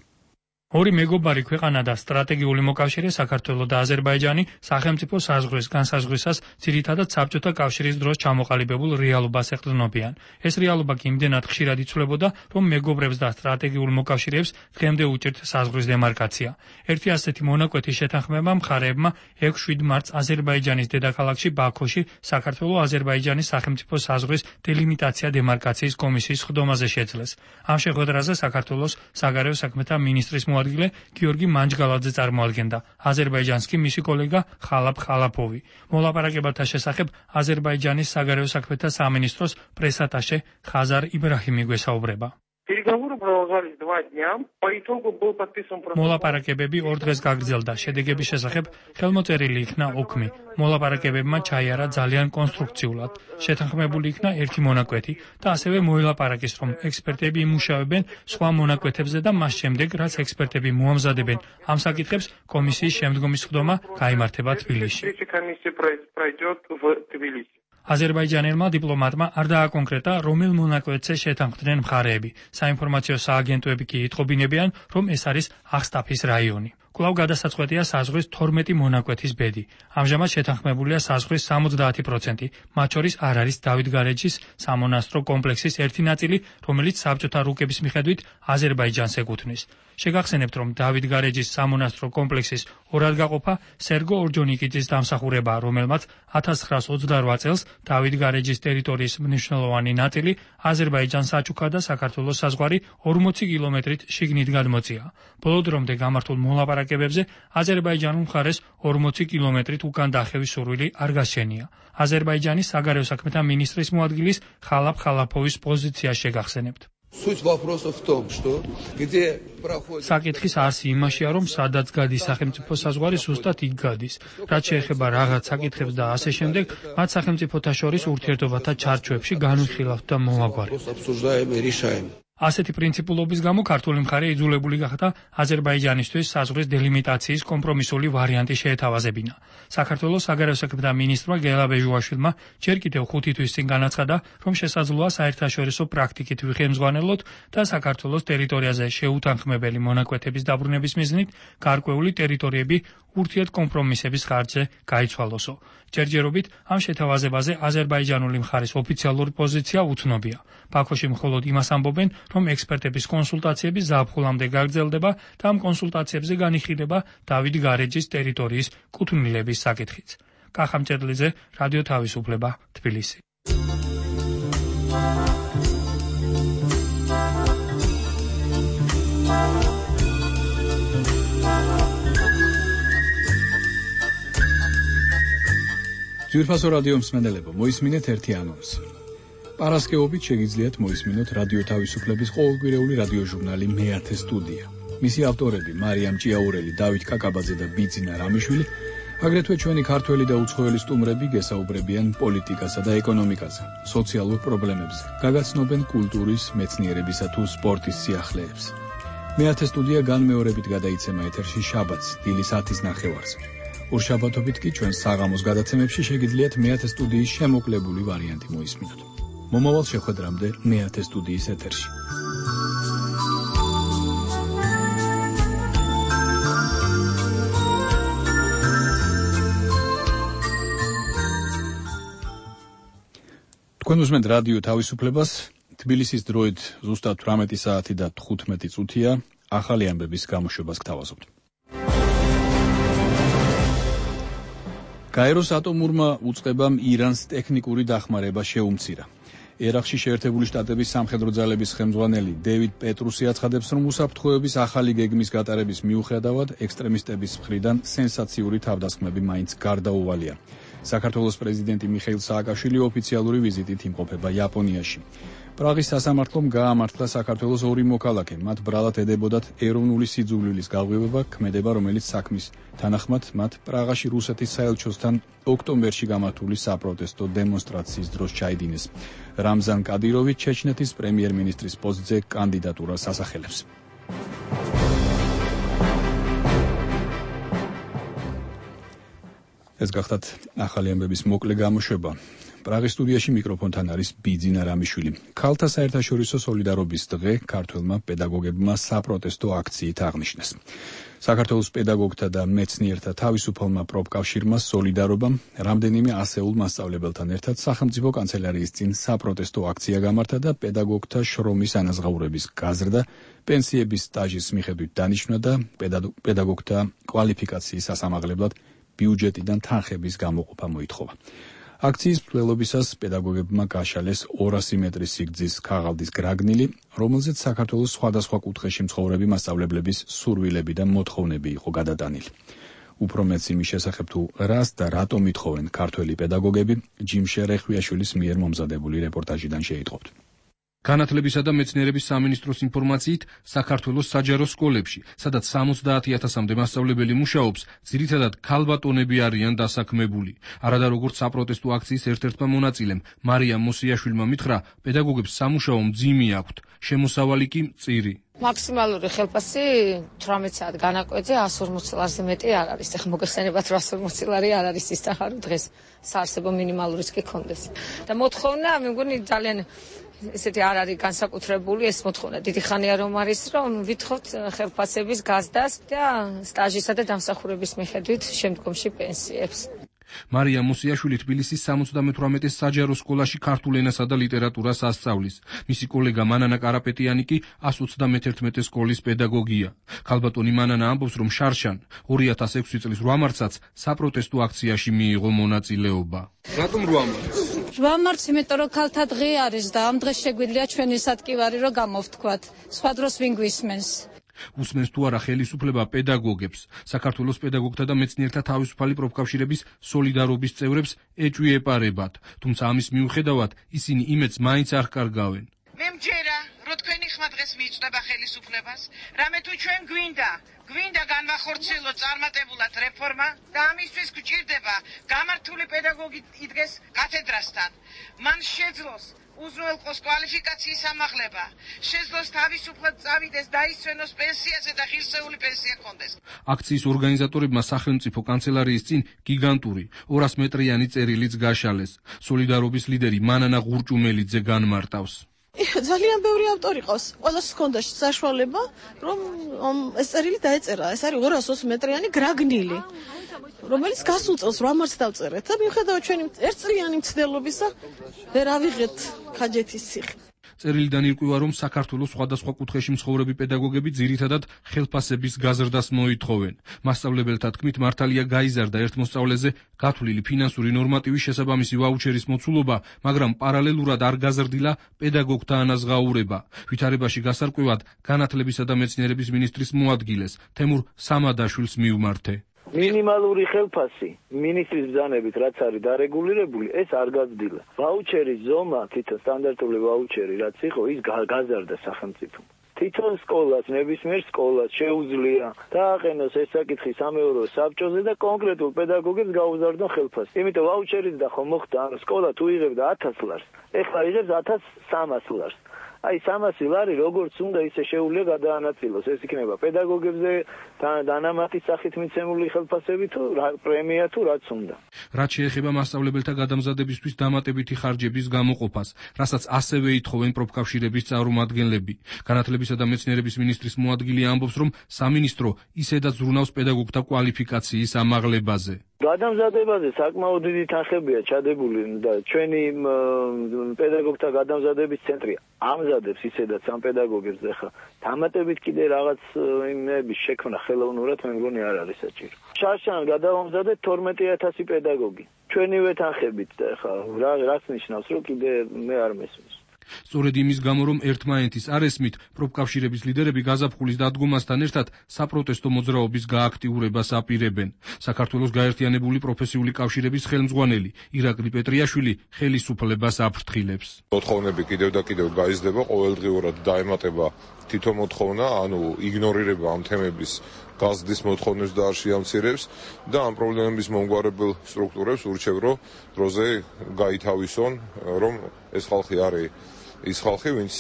ორი მეგობარი ქვეყანა და სტრატეგიული მოკავშირე საქართველო და აზერბაიჯანი სახელმწიფო საზღვრის განსაზღვრისას ძირითადად საბჭოთა კავშირის დროს ჩამოყალიბებულ რეალობას ეყრდნობიან. ეს რეალობა კი იმდენად ხშირად იცვლებოდა, რომ მეგობრებს და სტრატეგიულ მოკავშირეებს დღემდე უჭირთ საზღვრის დემარკაცია. ერთი ასეთი მონაკვეთის შეთანხმება მხარეებმა ექვსი მარტს აზერბაიჯანის დედაქალაქში ბაქოში საქართველო-აზერბაიჯანის სახელმწიფო საზღვრის დელიმიტაცია დემარკაციის კომისიის ხდომაზე შეძლეს. ამ შეხვედრაზე საქართველოს საგარეო საქმეთა მინისტრის მოადგილე გიორგი მანჯგალაძე წარმოადგენდა. აზერბაიჯანს კი მისი კოლეგა ხალაფ ხალაფოვი. მოლაპარაკებათა შესახებ აზერბაიჯანის საგარეო საქმეთა სამინისტროს პრესატაშე ხაზარ იბრაჰიმი გვესაუბრება. მოლაპარაკებები ორ დღეს გაგრძელდა. შედეგების შესახებ ხელმოწერილი იქნა ოქმი. მოლაპარაკებებმა ჩაიარა ძალიან კონსტრუქციულად. შეთანხმებული იქნა ერთი მონაკვეთი და ასევე მოილაპარაკეს, რომ ექსპერტები იმუშავებენ სხვა მონაკვეთებზე და მას შემდეგ, რაც ექსპერტები მოამზადებენ ამ საკითხებს, კომისიის შემდგომი სხდომა გაიმართება თბილისში. აზერბაიჯანელმა დიპლომატმა არ დააკონკრეტა, რომელ მონაკვეთზე შეთანხმდნენ მხარეები. საინფორმაციო სააგენტოები კი იტყობინებიან, რომ ეს არის აღსტაფის რაიონი. კვლავ გადასაწყვეტია საზღვრის თორმეტი მონაკვეთის ბედი. ამჟამად შეთანხმებულია საზღვრის სამოცდაათი პროცენტი, მათ შორის არ არის დავით გარეჯის სამონასტრო კომპლექსის ერთი ნაწილი, რომელიც საბჭოთა რუკების მიხედვით აზერბაიჯანს ეკუთვნის. შეგახსენებთ, რომ დავით გარეჯის სამონასტრო კომპლექსის ორად გაყოფა სერგო ორჯონიკიძის დამსახურებაა, რომელმაც ათას ცხრაას ოცდარვა წელს დავით გარეჯის ტერიტორიის მნიშვნელოვანი ნაწილი აზერბაიჯანს აჩუქა და საქართველოს საზღვარი ორმოცი კილომეტრით შიგნით გადმოწია. ბოლო დრომდე გამართულ მოლაპარაკებებზე აზერბაიჯანულ მხარეს ორმოცი კილომეტრით უკან დახევის სურვილი არ გასჩენია. აზერბაიჯანის საგარეო საქმეთა მინისტრის მოადგილის ხალაფ ხალაფოვის პოზიცია შეგახსენებთ. საკითხის არსი იმაშია, რომ სადაც გადის სახელმწიფო საზღვარი, ზუსტად იქ გადის. რაც შეეხება რაღაც საკითხებს და ასე შემდეგ, მათ სახელმწიფოთა შორის ურთიერთობათა ჩარჩოებში განვიხილავთ და მოვაგვარებთ. ასეთი პრინციპულობის გამო ქართული მხარე იძულებული გახდა აზერბაიჯანისთვის საზღვრის დელიმიტაციის კომპრომისული ვარიანტი შეეთავაზებინა. საქართველოს საგარეო საქმეთა მინისტრმა გელა ბეჟუაშვილმა ჯერ კიდევ ხუთი თვის წინ განაცხადა, რომ შესაძლოა საერთაშორისო პრაქტიკით ვიხემძღვანელოთ და საქართველოს ტერიტორიაზე შეუთანხმებელი მონაკვეთების დაბრუნების მიზნით გარკვეული ტერიტორიები ურთიერთ კომპრომისების ხარჯზე გაიცვალოსო. ჯერჯერობით ამ შეთავაზებაზე აზერბაიჯანული მხარის ოფიციალური პოზიცია უცნობია. ბაქოში მხოლოდ იმას ამბობენ, რომ ექსპერტების კონსულტაციები ზაფხულამდე გაგრძელდება და ამ კონსულტაციებზე განიხილება დავით გარეჯის ტერიტორიის კუთვნილების საკითხიც. კახა მჭედლიძე, რადიო თავისუფლება, თბილისი. ძვირფასო რადიო მსმენელებო, მოისმინეთ ერთი ანონსი. პარასკევობით შეგიძლიათ მოისმინოთ რადიო თავისუფლების ყოველკვირეული რადიო ჟურნალი მეათე სტუდია. მისი ავტორები მარიამ ჭიაურელი, დავით კაკაბაძე და ბიძინა რამიშვილი, აგრეთვე ჩვენი ქართველი და უცხოელი სტუმრები გესაუბრებიან პოლიტიკასა და ეკონომიკაზე, სოციალურ პრობლემებზე, გაგაცნობენ კულტურის, მეცნიერებისა თუ სპორტის სიახლეებს. მეათე სტუდია განმეორებით გადაიცემა ეთერში შაბათს, დილის ათის ნახევარზე. ორშაბათობით კი ჩვენ საღამოს გადაცემებში შეგიძლიათ მეათე სტუდიის შემოკლებული ვარიანტი მოისმინოთ. მომავალ შეხვედრამდე მეათე სტუდიის ეთერში. თქვენ უსმენთ რადიო თავისუფლებას. თბილისის დროით ზუსტად თვრამეტი საათი და თხუთმეტი წუთია. ახალი ამბების გამოშვებას გთავაზობთ. გაეროს ატომურმა უწყებამ ირანს ტექნიკური დახმარება შეუმცირა. ერაყში შეერთებული შტატების სამხედრო ძალების ხელმძღვანელი დევიდ პეტრუსი აცხადებს, რომ უსაფრთხოების ახალი გეგმის გატარების მიუხედავად ექსტრემისტების მხრიდან სენსაციური თავდასხმები მაინც გარდაუვალია. საქართველოს პრეზიდენტი მიხეილ სააკაშვილი ოფიციალური ვიზიტით იმყოფება იაპონიაში. პრაღის სასამართლომ გაამართლა საქართველოს ორი მოქალაქე, მათ ბრალად ედებოდათ ეროვნული სიძულვილის გაღვივება, ქმედება, რომელიც საქმის თანახმად მათ პრაღაში რუსეთის საელჩოსთან ოქტომბერში გამართული საპროტესტო დემონსტრაციის დროს ჩაიდინეს. რამზან კადიროვი ჩეჩნეთის პრემიერ-მინისტრის პოსტზე კანდიდატურას ასახელებს. ეს გახდათ ახალი ამბების მოკლე გამოშვება. პრაღის სტუდიაში მიკროფონთან არის ბიძინა რამიშვილი. ქალთა საერთაშორისო სოლიდარობის დღე ქართველმა პედაგოგებმა საპროტესტო აქციით აღნიშნეს. საქართველოს პედაგოგთა და მეცნიერთა თავისუფალმა პროფკავშირმა სოლიდარობამ რამდენიმე ასეულ მასწავლებელთან ერთად სახელმწიფო კანცელარიის წინ საპროტესტო აქცია გამართა და პედაგოგთა შრომის ანაზღაურების გაზრდა, პენსიების სტაჟის მიხედვით დანიშვნა და პედაგოგთა კვალიფიკაციის სასამაღლებლად ბიუჯეტიდან თანხების გამოყოფა მოითხოვა. აქციის მსვლელობისას პედაგოგებმა გაშალეს ორასი მეტრის სიგრძის ქაღალდის გრაგნილი, რომელზეც საქართველოს სხვადასხვა კუთხეში მცხოვრები მასწავლებლების სურვილები და მოთხოვნები იყო გადატანილი. უფრო მეც იმის შესახებ თუ რას და რატომ ითხოვენ ქართველი პედაგოგები, ჯიმშე რეხვიაშვილის მიერ მომზადებული რეპორტაჟიდან შეიტყობთ. განათლებისა და მეცნიერების სამინისტროს ინფორმაციით, საქართველოს საჯარო სკოლებში, სადაც სამოცდაათი ათასამდე მასწავლებელი მუშაობს, ძირითადად ქალბატონები არიან დასაქმებული. არადა როგორც საპროტესტო აქციის ერთ-ერთმა მონაწილემ, მარიამ მოსიაშვილმა მითხრა, პედაგოგებს სამუშაო მძიმე აქვთ, შემოსავალი კი მწირი. მაქსიმალური ხელფასი თვრამეტ საათ განაკვეთზე εκατს ორმოცი ლარზე მეტი არ არის. ეხლა მოგეხსენებათ რას ორმოცი ლარი არ არის ის ახარო დღეს საარსებო მინიმალურიც კი კონდეს. და მოთხოვნა, მე მგონი ძალიან ესეთი არ არის განსაკუთრებული ეს მოთხოვნა. დიდი ხანია რომ არის, რომ ვითხოვთ ხელფასების გაზდას და სტაჟისა და დამსახურების მიხედვით შემდგომში პენსიებს. მარიამ მოსიაშვილი თბილისის სამოცდამეთვრამეტე საჯარო სკოლაში ქართულ ენასა და ლიტერატურას ასწავლის. მისი კოლეგა მანანა კარაპეტიანი კი εκατს ოცდამეთერთმეტე სკოლის პედაგოგია. ქალბატონი მანანა ამბობს, რომ შარშან ორი ათას ექვსი წლის რვა მარტსაც საპროტესტო აქციაში მიიღო მონაწილეობა. რატომ რვა მარტს? რვა მარტს, იმიტომ რომ ქალთა დღე არის და ამ დღეს შეგვიძლია ჩვენი სატკივარი რომ გამოვთქვათ. სხვა დროს ვინ გვისმენს? უსმენს თუ არა ხელისუფლება პედაგოგებს. საქართველოს პედაგოგთა და მეცნიერთა თავისუფალი პროფკავშირების სოლიდარობის წევრებს ეჭვი ეპარებათ, თუმცა ამის მიუხედავად ისინი იმედს მაინც არ კარგავენ. მე მჯერა, რომ თქვენი ხმა დღეს მიიწვდება ხელისუფლებას, რამე თუ ჩვენ გვინდა, გვინდა განვახორციელოთ წარმატებულად რეფორმა და ამისთვის გვჭირდება გამართული პედაგოგი იდგეს კათედრასთან. მან შეძლოს უზრუნველყოს კვალიფიკაციის ამაღლება, შეძლოს თავისუფლად წავიდეს, დაისვენოს პენსიაზე და ღირსეული პენსია ჰქონდეს. აქციის ორგანიზატორებმა სახელმწიფო კანცელარიის წინ გიგანტური ორას მეტრიანი წერილიც გაშალეს. სოლიდარობის ლიდერი მანანა ღურჭუმელიძე განმარტავს. ძალიან ბევრი ავტორი ყავს. ყველას ჰქონდა საშუალება, რომ ეს წერილი დაეწერა. ეს არის ორას ოცი მეტრიანი გრაგნილი, რომელიც გასულ წელს რვა მარტს დავწერეთ და მიუხედავად ჩვენი ერთწლიანი მცდელობისა ვერ ავიღეთ ქაჯეთის ციხე. წერილიდან ირკვევა, რომ საქართველოს სხვადასხვა კუთხეში მცხოვრები პედაგოგები ძირითადად ხელფასების გაზრდას მოითხოვენ. მასწავლებელთა თქმით, მართალია გაიზარდა ერთ მოსწავლეზე გათვლილი ფინანსური ნორმატივის შესაბამისი ვაუჩერის მოცულობა, მაგრამ პარალელურად არ გაზრდილა პედაგოგთა ანაზღაურება. ვითარებაში გასარკვევად განათლებისა და მეცნიერების მინისტრის მოადგილეს თემურ სამადაშვილს მიუმართე. მინიმალური ხელფასი მინისტრის ბრძანებით რაც არის დარეგულირებული, ეს არ გაზრდილა. ვაუჩერის ზომა, თითო სტანდარტული ვაუჩერი რაც იყო, ის გაზარდა სახელმწიფომ. თითონ სკოლას, ნებისმიერ სკოლას შეუძლია დააყენოს ეს საკითხი სამეურო საბჭოზე და კონკრეტულ პედაგოგებს გაუზარდონ ხელფასი. იმიტომ ვაუჩერიც და ხომ მოხდა, ანუ სკოლა თუ იღებდა ათას ლარს, ეხლა იღებს ათას სამას ლარს. აი სამასი ლარი როგორც უნდა ისე შეუძლია გადაანაწილოს. ეს იქნება პედაგოგებზე დანამატის სახით მიცემული ხელფასები თუ პრემია თუ რაც უნდა. რაც შეეხება მასწავლებელთა გადამზადებისთვის დამატებითი ხარჯების გამოყოფას, რასაც ასევე ითხოვენ პროფკავშირების წარმომადგენლები. განათლებისა და მეცნიერების მინისტრის მოადგილე ამბობს, რომ სამინისტრო ისედაც ზრუნავს პედაგოგთა კვალიფიკაციის ამაღლებაზე. გადამზადებაზე საკმაოდ დიდი თანხებია ჩადებული და ჩვენი პედაგოგთა გადამზადების ცენტრი ამზადებს ისედაც ამ პედაგოგებს ახლა დამატებით კიდე რაღაც იმების შექმნა ხელოვნურად მე მგონი არ არის საჭირო. შარშან გადავამზადეთ თორმეტი ათასი პედაგოგი. ჩვენივე თანხებით და ახლა რა რაც ნიშნავს რომ კიდე მე არ მესმის. სწორედ იმის გამო რომ ერთმანეთის არ ესმით, პროფკავშირების ლიდერები გაზაფხულის დადგომასთან ერთად საპროტესტო მოძრაობის გააქტიურებას აპირებენ. საქართველოს გაერთიანებული პროფესიული კავშირების ხელმძღვანელი ირაკლი პეტრიაშვილი ხელისუფლებას აფრთხილებს. მოთხოვნები კიდევ და კიდევ გაიზრდება, ყოველდღიურად დაემატება თითო მოთხოვნა, ანუ იგნორირება ამ თემების გაზრდის მოთხოვნებს და არ შეამცირებს და ამ პრობლემების მომგვარებელ სტრუქტურებს ურჩევ, რომ დროზე გაითავისონ, რომ ეს ხალხი არის ის ხალხი, ვინც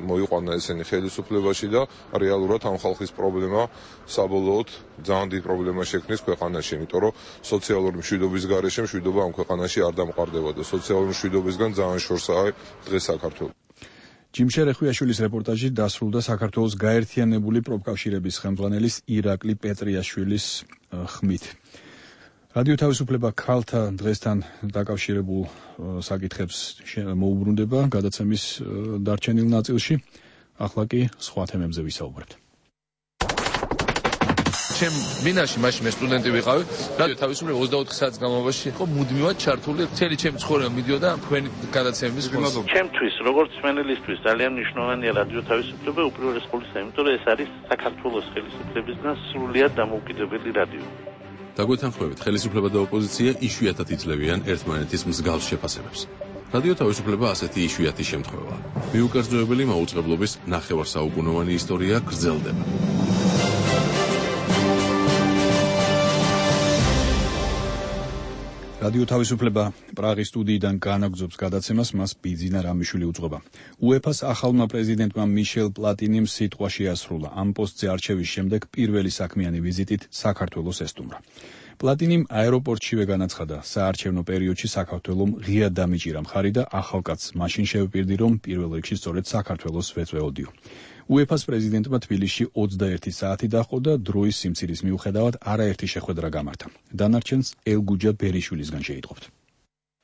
მოიყვანა ესენი ხელისუფლებაში და რეალურად ამ ხალხის პრობლემა საბოლოოდ ძალიან დიდ პრობლემას შექმნის ქვეყანაში, იმიტომ რომ სოციალური მშვიდობის გარეშე მშვიდობა ამ ქვეყანაში არ დამყარდება და სოციალური მშვიდობისგან ძალიან შორსაა დღეს საქართველო. ჯიმშერ ეხვიაშვილის რეპორტაჟი დასრულდა საქართველოს გაერთიანებული პროფკავშირების ხელმძღვანელის ირაკლი პეტრიაშვილის ხმით. რადიო თავისუფლება ქალთა დღესთან დაკავშირებულ საკითხებს მოუბრუნდება გადაცემის დარჩენილ ნაწილში. ახლა კი სხვა თემებზე ვისაუბრებთ. ჩემ მინაში მაშინ მე სტუდენტი ვიყავი, რადიო თავისუფლება ოცდაოთხ საათის განმავლობაში იყო მუდმივად ჩართული, მთელი ჩემი ცხოვრება მიდიოდა თქვენი გადაცემების ხმაზე. ჩემთვის, როგორც მენელისთვის ძალიან მნიშვნელოვანია რადიო თავისუფლება უპირველეს ყოვლისა, იმიტომ რომ ეს არის საქართველოს ხელისუფლებისგან სრულიად დამოუკიდებელი რადიო. დაგვეთანხმებით, ხელისუფლება და ოპოზიცია იშვიათად იძლევიან ერთმანეთის მსგავს შეფასებებს. რადიო თავისუფლება ასეთი იშვიათი შემთხვევაა. მიუკერძოებელი მაუწყებლობის ნახევარსაუკუნოვანი ისტორია გრძელდება. რადიო თავისუფლება პრაღის სტუდიიდან განაგრძობს გადაცემას, მას ბიძინა რამიშვილი უძღვება. უეფას ახალმა პრეზიდენტმა მიშელ პლატინიმ სიტყვა შეასრულა. ამ პოსტზე არჩევის შემდეგ პირველი საქმიანი ვიზიტით საქართველოს ესტუმრა. პლატინიმ აეროპორტშივე განაცხადა, საარჩევნო პერიოდში საქართველომ ღიად დამიჭირა მხარი და ახალკაცს მაშინ შევპირდი, რომ პირველ რიგში სწორედ საქართველოს ვეწვეოდიო. უეფას პრეზიდენტმა თბილისში ოცდაერთი საათი დაჰყო და დროის სიმცირის მიუხედავად არაერთი შეხვედრა გამართა. დანარჩენს ელგუჯა ბერიშვილისგან შეიტყობთ.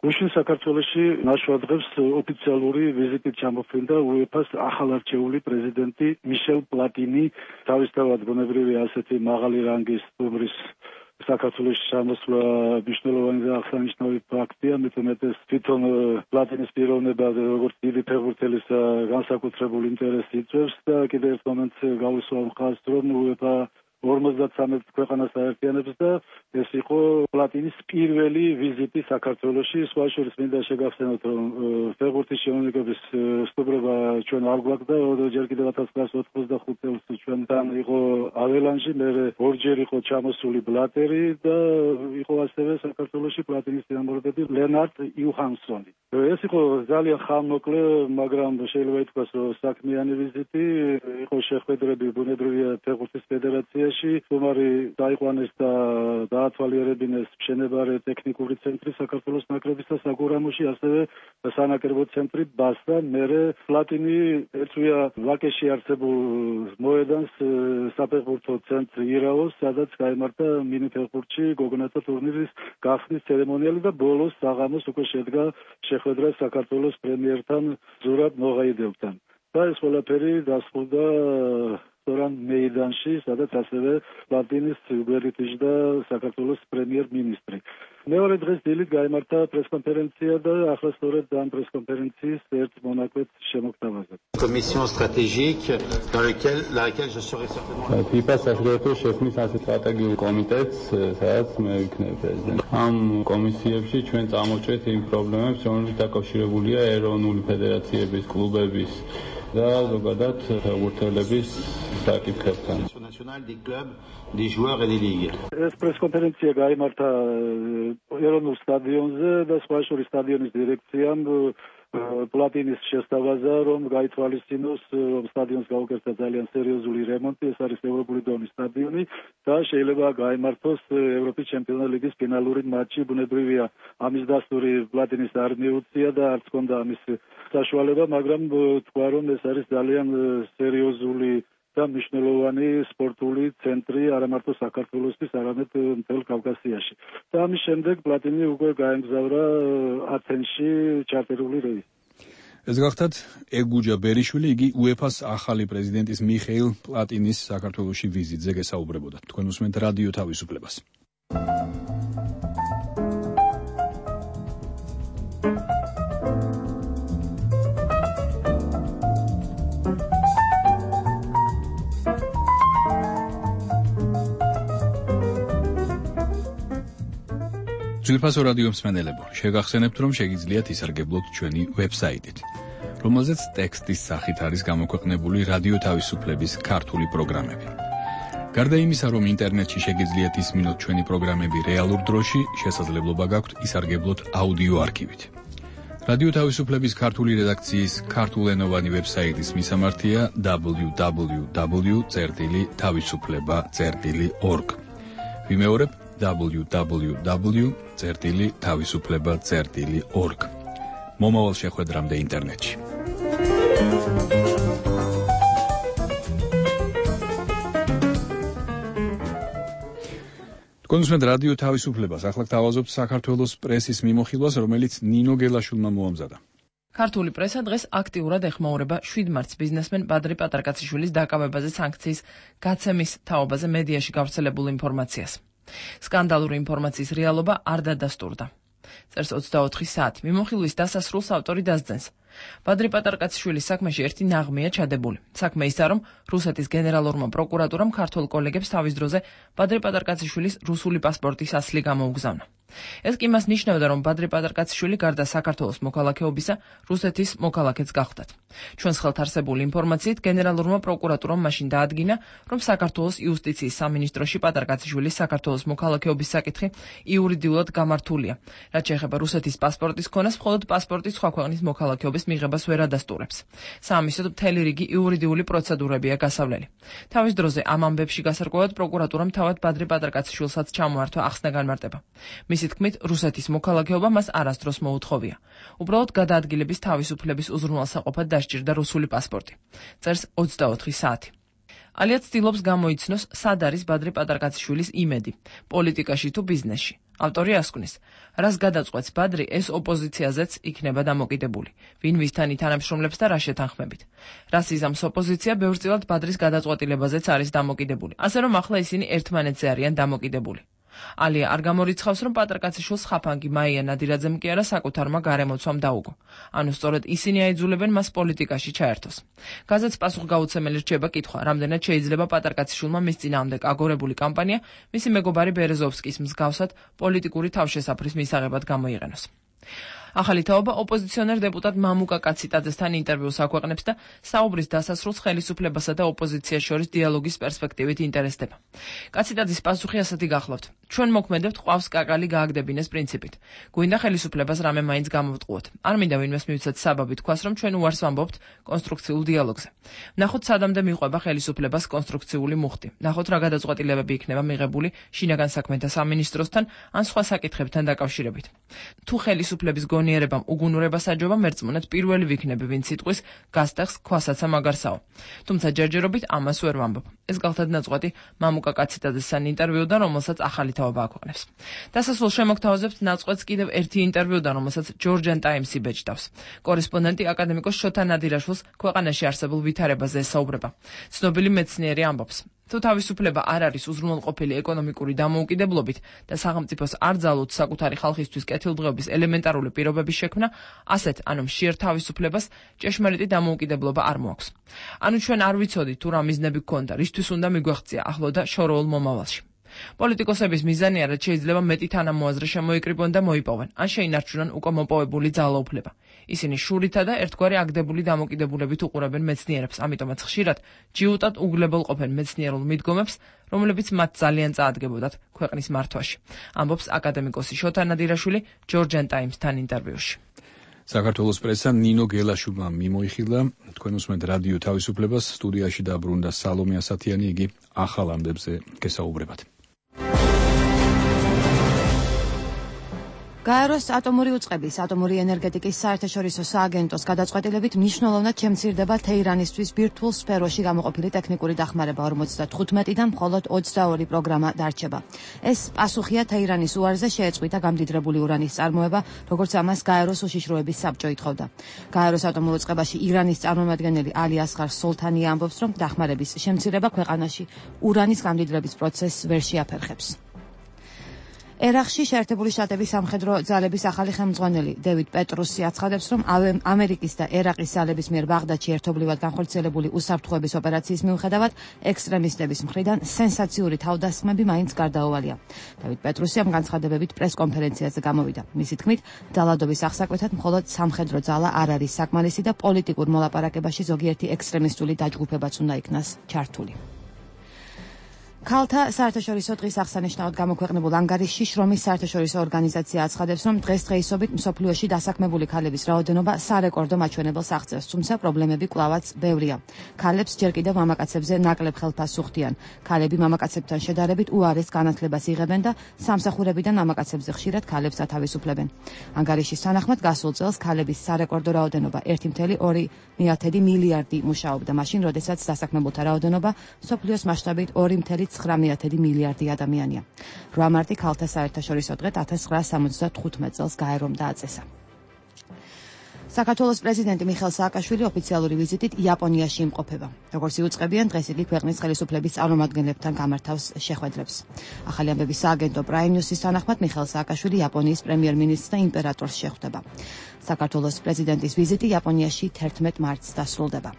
გუშინ საქართველოში ნაშვადღებს ოფიციალური ვიზიტით ჩამოფრინდა უეფას ახალარჩეული პრეზიდენტი მიშელ პლატინი, თავისთავად ბუნებრივია ასეთი მაღალი რანგის სტუმრის საქართველოს შემოსვლა მნიშვნელოვანი და აღსანიშნავი ფაქტია, მეტუმეტეს თვითონ პლატინის პიროვნება როგორც დიდი ფეხბურთელის განსაკუთრებულ ინტერესს იწვევს და კიდევ ერთ მომენტს გავუსვა მხარს, რომ უეფა ორმოცდათრამეტ ქვეყანას აერთიანებს და ეს იყო პლატინის პირველი ვიზიტი საქართველოში. სხვა შორის მინდა შეგახსენოთ, რომ ფეხბურთის შემოქმედების სტუმრობა ჩვენ არ გვაქვს და ჯერ კიდევ ათას ცხრაასი ოთხმოცდახუთ წელს ჩვენთან იყო აველანჟი, მერე ორჯერ იყო ჩამოსული ბლატერი და იყო ასევე საქართველოში პლატინის წინამორბედი ლენარტ იუჰანსონი. ეს იყო ძალიან ხანმოკლე, მაგრამ შეიძლება ითქვას, რომ საქმიანი ვიზიტი, იყო შეხვედრები ბუნებრივია ფეხბურთის ფედერაციაში, თუმარი დაიყვანეს და დაათვალიერებინეს მშენებარე ტექნიკური ცენტრი საქართველოს ნაკრების და საგურამოში, ასევე სანაკრებო ცენტრი ბასა. მერე პლატინი ეწვია ვაკეში არსებულ მოედანს საფეხბურთო ცენტრი ირაოს, სადაც გაიმართა მინი ფეხბურთში გოგონათა ტურნირის გახსნის ცერემონიალი და ბოლოს საღამოს უკვე შედგა შეხვედრა საქართველოს პრემიერთან ზურაბ მოღაიდელთან. და ეს ყველაფერი დასრულდა რესტორან მეიდანში, სადაც ასევე პლატინის გვერდით იჯდა საქართველოს პრემიერ-მინისტრი. მეორე დღეს დილით გაიმართა პრესკონფერენცია და ახლა სწორედ ამ პრესკონფერენციის ერთ მონაკვეთს შემოგთავაზებ. Commission stratégique dans laquelle dans laquelle je serai certainement. ფიფა საერთაშორისო შექმნის ასეთ სტრატეგიულ კომიტეტს, სადაც მე ვიქნები პრეზიდენტი. ამ კომისიებში ჩვენ წამოვჭრეთ იმ პრობლემებს, რომლებიც დაკავშირებულია ეროვნული ფედერაციების, კლუბების და ზოგადად ფეხბურთელების საკითხებთან. ეს პრესკონფერენცია გაიმართა ეროვნულ სტადიონზე და სხვა შორის სტადიონის დირექციამ პლატინის შესთავაზა, რომ გაითვალისწინოს, რომ სტადიონს გაუკეთდა ძალიან სერიოზული რემონტი, ეს არის ევროპული დონის სტადიონი და შეიძლება გაიმართოს ევროპის ჩემპიონთა ლიგის ფინალური მატჩი. ბუნებრივია, ამის დასტური პლატინის არ მიუწია და არც ჰქონდა ამის საშუალება, მაგრამ თქვა, რომ ეს არის ძალიან სერიოზული და მნიშვნელოვანი სპორტული ცენტრი არა მარტო საქართველოსთვის, არამედ მთელ კავკასიაში. და ამის შემდეგ პლატინი უკვე გაემგზავრა ათენში ჩარტერული რეისით. ეს გახდათ ეგუჯა ბერიშვილი, იგი უეფას ახალი პრეზიდენტის მიხეილ პლატინის საქართველოში ვიზიტზე გესაუბრებოდა. თქვენ უსმენთ რადიო თავისუფლებას. ძვირფასო რადიო მსმენელებო, შეგახსენებთ, რომ შეგიძლიათ ისარგებლოთ ჩვენი ვებსაიტით, რომელზეც ტექსტის სახით არის გამოქვეყნებული რადიო თავისუფლების ქართული პროგრამები. გარდა იმისა, რომ ინტერნეტში შეგიძლიათ ისმინოთ ჩვენი პროგრამები რეალურ დროში, შესაძლებლობა გაქვთ ისარგებლოთ აუდიო არქივით. რადიო თავისუფლების ქართული რედაქციის ქართულენოვანი ვებსაიტის მისამართია დაბლიუ დაბლიუ დაბლიუ წერტილი თავისუფლება წერტილი ორგ. ვიმეორებ დაბლიუ დაბლიუ დაბლიუ წერტილი თავისუფლება წერტილი ორგ. მომავალ შეხვედრამდე ინტერნეტში. თქვენ უსმენთ რადიო თავისუფლებას, ახლა გთავაზობთ საქართველოს პრესის მიმოხილვას, რომელიც ნინო გელაშვილმა მოამზადა. ქართული პრესა დღეს აქტიურად ეხმაურება შვიდ მარტს ბიზნესმენ ბადრი პატარკაციშვილის დაკავებაზე სანქციის გაცემის თაობაზე მედიაში გავრცელებულ ინფორმაციას. სკანდალური ინფორმაციის რეალობა არ დადასტურდა. წერს ოცდაოთხი საათი. მიმოხილვის დასასრულს ავტორი დასძენს. ბადრი პატარკაციშვილის საქმეში ერთი ნაღმეა ჩადებული. საქმე ისაა, რომ რუსეთის გენერალურმა პროკურატურამ ქართულ კოლეგებს თავის დროზე ბადრი პატარკაციშვილის რუსული პასპორტის ასლი გამოუგზავნა. ეს კი მას ნიშნავდა, რომ ბადრი პატარკაციშვილი გარდა საქართველოს მოქალაქეობისა, რუსეთის მოქალაქეც გახდათ. ჩვენს ხელთ არსებული ინფორმაციით, გენერალურმა პროკურატურამ მაშინ დაადგინა, რომ საქართველოს იუსტიციის სამინისტროში პატარკაციშვილის საქართველოს მოქალაქეობის საკითხი იურიდიულად გამართულია. რაც შეეხება რუსეთის პასპორტის ქონას, მხოლოდ პასპორტის სხვა ქვეყნის მოქალაქეობის მიღებას ვერ ადასტურებს. საამისოდ მთელი რიგი იურიდიული პროცედურებია გასავლელი. თავის დროზე ამ ამბებში გასარკვევად პროკურატურამ თავად ბადრი პატარკაციშვილსაც ჩამოართვა ახსნა განმარტება. მისი თქმით, რუსეთის მოქალაქეობა მას არასდროს მოუთხოვია. უბრალოდ გადაადგილების თავისუფლების უზრუნველსაყოფად დასჭირდა რუსული პასპორტი. წერს ოცდაოთხი საათი. ალია ცდილობს გამოიცნოს, სად არის ბადრი პატარკაციშვილის იმედი, პოლიტიკაში თუ ბიზნესში. ავტორი ასკვნის, რას გადაწყვეტს ბადრი, ეს ოპოზიციაზეც იქნება დამოკიდებული. ვინ ვისთან ითანამშრომლებს და რა შეთანხმებით. რას იზამს ოპოზიცია, ბევრწილად ბადრის გადაწყვეტილებაზეც არის დამოკიდებული. ასე რომ ახლა ისინი ერთმანეთზე არიან დამოკიდებული. ალია არ გამორიცხავს, რომ პატარკაციშვილს ხაფანგი მაია ნადირაძემ კი არა საკუთარმა გარემოცვამ დაუგო. ანუ სწორედ ისინი აიძულებენ მას პოლიტიკაში ჩაერთოს. გაზეთს პასუხგაუცემელი რჩება კითხვა, რამდენად შეიძლება პატარკაციშვილმა მის წინააღმდეგ აგორებული კამპანია მისი მეგობარი ბერეზოვსკის მსგავსად პოლიტიკური თავშესაფრის მისაღებად გამოიყენოს. ახალი თაობა ოპოზიციონერ დეპუტატ მამუკა კაციტაძესთან ინტერვიუს აქვეყნებს და საუბრის დასასრულს ხელისუფლებასა და ოპოზიციას შორის დიალოგის პერსპექტივით ინტერესდება. კაციტაძის პასუხი ასეთი გახლავთ: ჩვენ მოქმედებთ ყავს კაკალი გააგდებინეს პრინციპით. გვინდა ხელისუფლებას რამე მაინც გამოვტყუოთ. არ მინდა ვინმეს მივცეთ საბაბი თქვას, რომ ჩვენ უარს ვამბობთ კონსტრუქციულ დიალოგზე. ნახოთ სადამდე მიყვება ხელისუფლებას კონსტრუქციული მუხტი. ნახოთ რა გადაწყვეტილებები იქნება მიღებული შინაგან საქმეთა სამინისტროსთან ან სხვა საკითხებთან დაკავშირებით. თუ ხელისუფლების გონიერებამ უგუნურება საჯობა, მერწმუნეთ პირველი ვიქნები, ვინც სიტყვის გასტეხს ქვასაცა მაგარსაო. თუმცა ჯერჯერობით ამას ვერ ვამბობ. ეს გახლავთ ნაწყვეტი მამუკა კაციტაძესთან ინტერვიუდან, რომელსაც ახალი თაობა აქვეყნებს. დასასრულს შემოგთავაზებთ ნაწყვეტს კიდევ ერთი ინტერვიუდან, რომელსაც Georgian Times-ი ბეჭდავს. კორესპონდენტი აკადემიკოს შოთა ნადირაშვილს ქვეყანაში არსებულ ვითარებაზე ესაუბრება. ცნობილი მეცნიერი ამბობს: თუ თავისუფლება არ არის უზრუნველყოფილი ეკონომიკური დამოუკიდებლობით და სახელმწიფოს არ ძალუთ საკუთარი ხალხისთვის კეთილდღეობის ელემენტარული პირობების შექმნა, ასეთ, ანუ მშიერ თავისუფლებას ჭეშმარიტი დამოუკიდებლობა არ მოაქვს. ანუ ჩვენ არ ვიცოდით თუ რა მიზნები გქონდა, რისთვის უნდა მიგვეღწია ახლო და შორეულ მომავალში. პოლიტიკოსების მიზანია, რაც შეიძლება მეტი თანამოაზრე შემოიკრიბონ და მოიპოვեն, ან შეინარჩუნონ უკვე მოპოვებული ძალაუფლება. ისინი შურითა და ერთგვარი აგდებული დამოკიდებულებით უყურებენ მეცნიერებს, ამიტომაც ხშირად ჯიუტად უგლებელყოფენ მეცნიერულ მიდგომებს, რომლებიც მათ ძალიან წაადგებოდათ ქვეყნის მართვაში. ამბობს აკადემიკოსი შოთა ნადირაშვილი Georgian Times-თან ინტერვიუში. საქართველოს პრესა ნინო გელაშვილმა მიმოიხილა. თქვენ უსმენთ რადიო თავისუფლებას, სტუდიაში დაბრუნდა სალომე ასათიანი, იგი ახალ ამბებზე გესაუბრებათ. გაეროს ატომური უწყების ატომური ენერგეტიკის საერთაშორისო სააგენტოს გადაწყვეტილებით მნიშვნელოვნად შემცირდება თეირანისთვის ბირთვულ სფეროში გამოყოფილი ტექნიკური დახმარება ორმოცდათხუთმეტიდან მხოლოდ ოცდაორი პროგრამა დარჩება. ეს პასუხია თეირანის უარზე შეეწყვიტა გამდიდრებული ურანის წარმოება, როგორც ამას გაეროს უშიშროების საბჭო ითხოვდა. გაეროს ატომურ უწყებაში ირანის წარმომადგენელი ალი ასღარ სოლთანი ამბობს, რომ დახმარების შემცირება ქვეყანაში ურანის გამდიდრების პროცესს ვერ შეაფერხებს. ერაყში შეერთებული შტატების სამხედრო ძალების ახალი ხელმძღვანელი დევიდ პეტრუსი აცხადებს, რომ ამერიკის და ერაყის ძალების მიერ ბაღდადში ერთობლივად განხორციელებული უსაფრთხოების ოპერაციის მიუხედავად ექსტრემისტების მხრიდან სენსაციური თავდასხმები მაინც გარდაუვალია. დევიდ პეტრუსი ამ განცხადებებით პრესკონფერენციაზე გამოვიდა. მისი თქმით, ძალადობის აღსაკვეთად მხოლოდ სამხედრო ძალა არ არის საკმარისი და პოლიტიკურ მოლაპარაკებაში ზოგიერთი ექსტრემისტული დაჯგუფებაც უნდა იქნას ჩართული. ქალთა საერთაშორისო დღის აღსანიშნავად გამოქვეყნებულ ანგარიშში შრომის საერთაშორისო ორგანიზაცია აცხადებს, რომ დღესდღეობით მსოფლიოში დასაქმებული ქალების რაოდენობა სარეკორდო მაჩვენებელს აღწევს, თუმცა პრობლემები კვლავაც ბევრია. ქალებს ჯერ კიდევ მამაკაცებზე ნაკლებ ხელფასს უხდიან. ქალები მამაკაცებთან შედარებით უარეს განათლებას იღებენ და სამსახურებიდან მამაკაცებზე ხშირად ქალებს ათავისუფლებენ. ანგარიშის თანახმად გასულ წელს ქალების სარეკორდო რაოდენობა ერთი წუთი ორი მილიარდი მუშაობდა, მაშინ როდესაც დასაქმებულთა რაოდენობა მსოფლიოს მასშტაბით ორი წუთი ცხრა მილიარდი ადამიანია. რვა მარტი ქალთა საერთაშორისო დღედ ათას ცხრაასა სამოცდათხუთმეტ წელს გაერომ დააწესა. საქართველოს პრეზიდენტი მიხეილ სააკაშვილი ოფიციალური ვიზიტით იაპონიაში იმყოფება. როგორც იუწყებიან, დღეს იგი ქვეყნის ხელისუფლების წარმომადგენლებთან გამართავს შეხვედრებს. ახალი ამბების სააგენტო Prime News-ის თანახმად მიხეილ სააკაშვილი იაპონიის პრემიერ-მინისტრს და იმპერატორს შეხვდება. საქართველოს პრეზიდენტის ვიზიტი იაპონიაში თერთმეტ მარტს დასრულდება.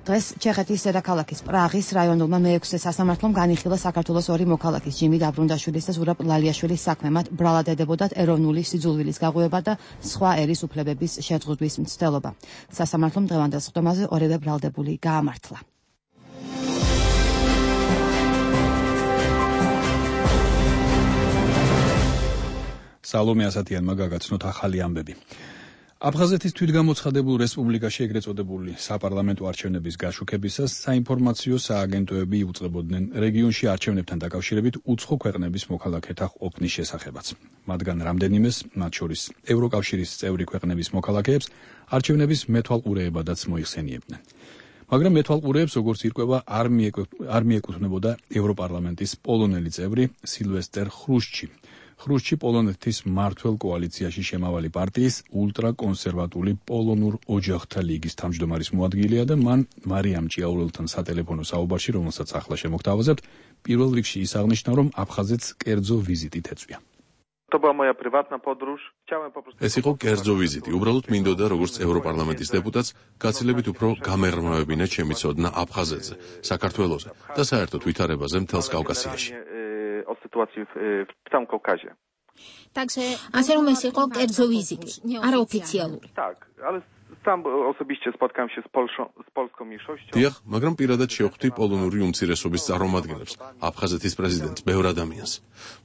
დღეს ჩეხეთის დედაქალაქის პრაღის რაიონულმა მეექვსე სასამართლომ განიხილა საქართველოს ორი მოქალაქის ჯიმი დაბრუნდაშვილის და ზურაბ ლალიაშვილის საქმე, მათ ბრალად ედებოდათ ეროვნული სიძულვილის გაღვივება და სხვა ერის უფლებების შეწყვეტის მცდელობა. სასამართლომ დღევანდელ სხდომაზე ორივე ბრალდებული გაამართლა. სალომე ასათიანმა გაგაცნოთ ახალი ამბები. აფხაზეთის თვითგამოცხადებულ რესპუბლიკაში ეგრეთ წოდებული საპარლამენტო არჩევნების გაშუქებისას საინფორმაციო სააგენტოები იუწყებოდნენ რეგიონში არჩევნებთან დაკავშირებით უცხო ქვეყნების მოქალაქეთა ყოფნის შესახებაც. მათგან რამდენიმეს, მათ შორის ევროკავშირის წევრი ქვეყნების მოქალაქეებს, არჩევნების მეთვალყურეებადაც მოიხსენიებდნენ. მაგრამ მეთვალყურეებს, როგორც ირკვევა, არ მიეკუთვნებოდა ევროპარლამენტის პოლონელი წევრი სილვესტერ ხრუშჩი. ხრუშჩი პოლონეთის მმართველ კოალიციაში შემავალი პარტიის ულტრაკონსერვატული პოლონურ ოჯახთა ლიგის თავმჯდომარის მოადგილეა და მან მარიამ ჭიაურელთან სატელეფონო საუბარში, რომელსაც ახლა შემოგთავაზებთ, პირველ რიგში ის აღნიშნა, რომ აფხაზეთს კერძო ვიზიტით ეწვია. ეს იყო კერძო ვიზიტი. უბრალოდ მინდოდა, როგორც ევროპარლამენტის დეპუტატს, გაცილებით უფრო გამეღრმავებინა ჩემი ცოდნა აფხაზეთზე, საქართველოზე და საერთოდ ვითარებაზე მთელს კავკასიაში. o sytuacji w, w całym Kaukazie. ასე რომ ეს იყო კერძო ვიზიტი, არაოფიციალური. Tak, ale sam osobiście spotkałem się z Polską, z polską mniejszością. დიახ, მაგრამ პირადად შევხვდი პოლონური უმცირესობის წარმომადგენლებს, აფხაზეთის პრეზიდენტს, ბევრ ადამიანს.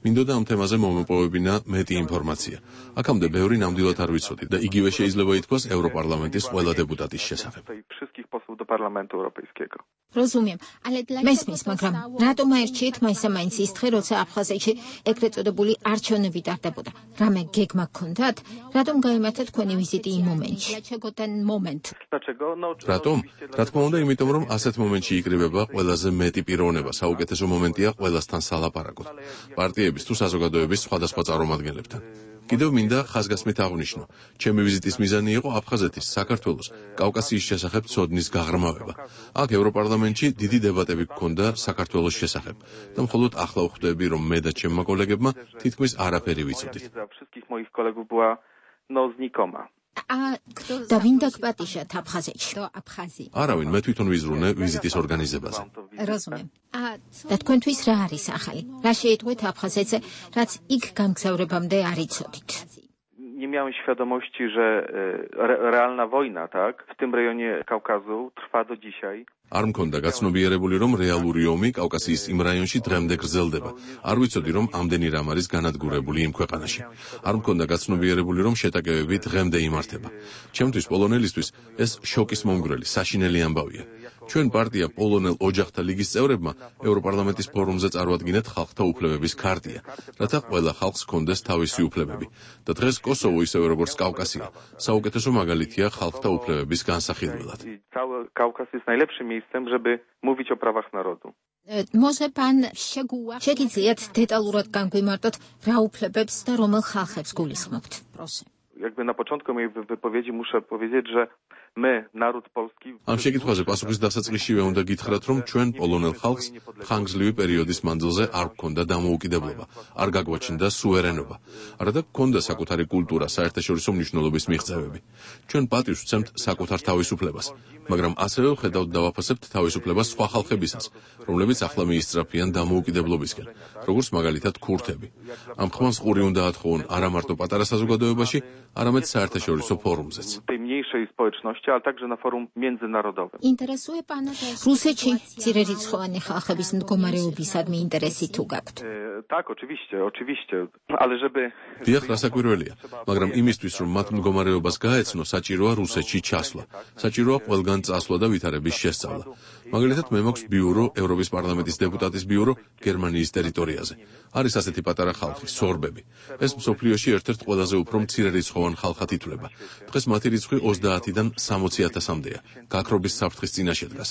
მინდოდა ამ თემაზე მომეპოვებინა მეტი ინფორმაცია. აქამდე ბევრი ნამდვილად არ ვიცოდი და იგივე შეიძლება ითქვას ევროპარლამენტის ყველა დეპუტატის შესახებ. Wszystkich posłów do Parlamentu Europejskiego. Rozumiem, ale მესმის, მაგრამ რატომ აერჩიეთ მაინც ის დღე, როცა აფხაზეთში ეგრეთ წოდებული არჩევნები ტარდებოდა? რამე გეგმა გქონდათ? რატომ გაიმართა თქვენი ვიზიტი იმ მომენტში? რატომ? რა თქმა უნდა, იმიტომ რომ ასეთ მომენტში იკრიბება ყველაზე მეტი პიროვნება, საუკეთესო მომენტია ყველასთან სალაპარაკოთ. პარტიების თუ საზოგადოების სხვადასხვა წარმომადგენლებთან. კიდევ მინდა ხაზგასმით აღვნიშნო, ჩემი ვიზიტის მიზანი იყო აფხაზეთის, საქართველოს, კავკასიის შესახებ ცოდნის გაღრმავება. აქ ევროპარლამენტში დიდი დებატები გქონდა საქართველოს შესახებ და მხოლოდ ახლა ვხვდები, რომ მე და ჩემმა კოლეგებმა თითქმის არაფერი ვიცოდით. და ვინ დაგპატიშათ აფხაზეთში? არავინ, მე თვითონ ვიზრუნე ვიზიტის ორგანიზებაზე. Rozumiem. და თქვენთვის რა არის ახალი? რა შეიტყვეთ აფხაზეთზე, რაც იქ გამგზავრებამდე არ იცოდით? Nie miałem świadomości, że re, realna wojna, tak, w tym rejonie Kaukazu trwa do dzisiaj. არ მქონდა გაცნობიერებული, რომ რეალური ომი კავკასიის იმ რაიონში დღემდე გრძელდება. არ ვიცოდი, რომ ამდენი რამ არის განადგურებული იმ ქვეყანაში. არ მქონდა გაცნობიერებული, რომ შეტაკებები დღემდე იმართება. ჩემთვის პოლონელისთვის ეს შოკის მომგვრელი, საშინელი ამბავია. ჩვენ პარტია პოლონელ ოჯახთა ლიგის წევრებმა ევროპარლამენტის ფორუმზე წარვადგინეთ ხალხთა უფლებების ქარტია, რათა ყველა ხალხს ჰქონდეს თავისი უფლებები. და დღეს კოსოვო ისევე როგორც კავკასია, საუკეთესო მაგალითია ხალხთა უფლებების განსახილველად. Kaukaz jest najlepszym miejscem, żeby mówić o prawach narodu. Może pan შეგიძლიათ დეტალურად განგვიმარტოთ რა უფლებებს და რომელ ხალხებს გულისხმობთ? Proszę. Jakby na początku mojej wypowiedzi muszę powiedzieć, że my, naród polski... Am შეკითხვაზე პასუხის დასაწყისშივე უნდა გითხრათ, რომ ჩვენ პოლონელ ხალხს ხანგრძლივი პერიოდის მანძილზე არ გქონდა დამოუკიდებლობა, არ გაგვაჩნდა სუვერენობა, არადა გქონდა საკუთარი კულტურა, საერთაშორისო მნიშვნელობის მიღწევები. ჩვენ პატივს ვცემთ საკუთარ თავისუფლებას, მაგრამ ასევე ვხედავთ და ვაფასებთ თავისუფლებას სხვა ხალხებისას, რომლებიც ახლა მიისწრაფიან დამოუკიდებლობისკენ, როგორც მაგალითად ქურთები. ამ ხმას ყური უნდა ათხოვონ არა მარტო პატარა საზოგადოებაში, არამედ საერთაშორისო ფორუმზეც. tej mniejszej społeczności, ale także na forum międzynarodowym. Interesuje pana რუსეთში ძირერიცხოვანი ხალხების მდგომარეობისადმი ინტერესი თუ გაქვთ? Tak, oczywiście, oczywiście, ale żeby... დიახ, რასაკვირველია, მაგრამ იმისთვის, რომ მათ მდგომარეობას გაეცნო, საჭიროა რუსეთში ჩასვლა. საჭიროა ყველგან წასვლა და ვითარების შესწავლა. მაგალითად, მე მაქვს ბიურო, ევროპის პარლამენტის დეპუტატის ბიურო გერმანიის ტერიტორიაზე. არის ასეთი პატარა ხალხი, სორბები. ეს მსოფლიოში ერთ-ერთ ყველაზე უფრო მცირერიცხოვან ხალხად ითვლება. დღეს მათი რიცხვი ოცდაათიდან სამოცი ათასამდეა. გაქრობის საფრთხის წინაშე დგას.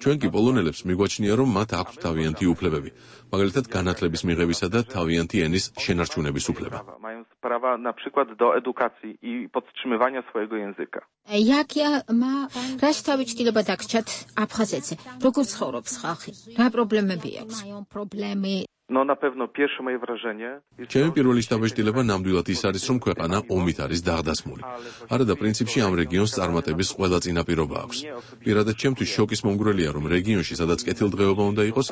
ჩვენ კი პოლონელებს მიგვაჩნია, რომ მათ აქვთ თავიანთი უფლებები. მაგალითად, განათლების მიღებისა და თავიანთი ენის შენარჩუნების უფლება. Mają prawa na przykład do edukacji i podtrzymywania swojego języka. Jakja ma რას თავისუფლება დაგჭათ აფხაზეთზე? როგორ ცხოვრობს ხალხი? რა პრობლემები აქვს? პრობლემები No na pewno pierwsze moje wrażenie... ჩემი პირველი შთაბეჭდილება ნამდვილად ის არის, რომ ქვეყანა ომით არის დაღდასმული. არადა პრინციპში ამ რეგიონს წარმატების ყველა წინაპირობა აქვს. პირადად ჩემთვის შოკის მომგვრელია, რომ რეგიონში, სადაც კეთილდღეობა უნდა იყოს,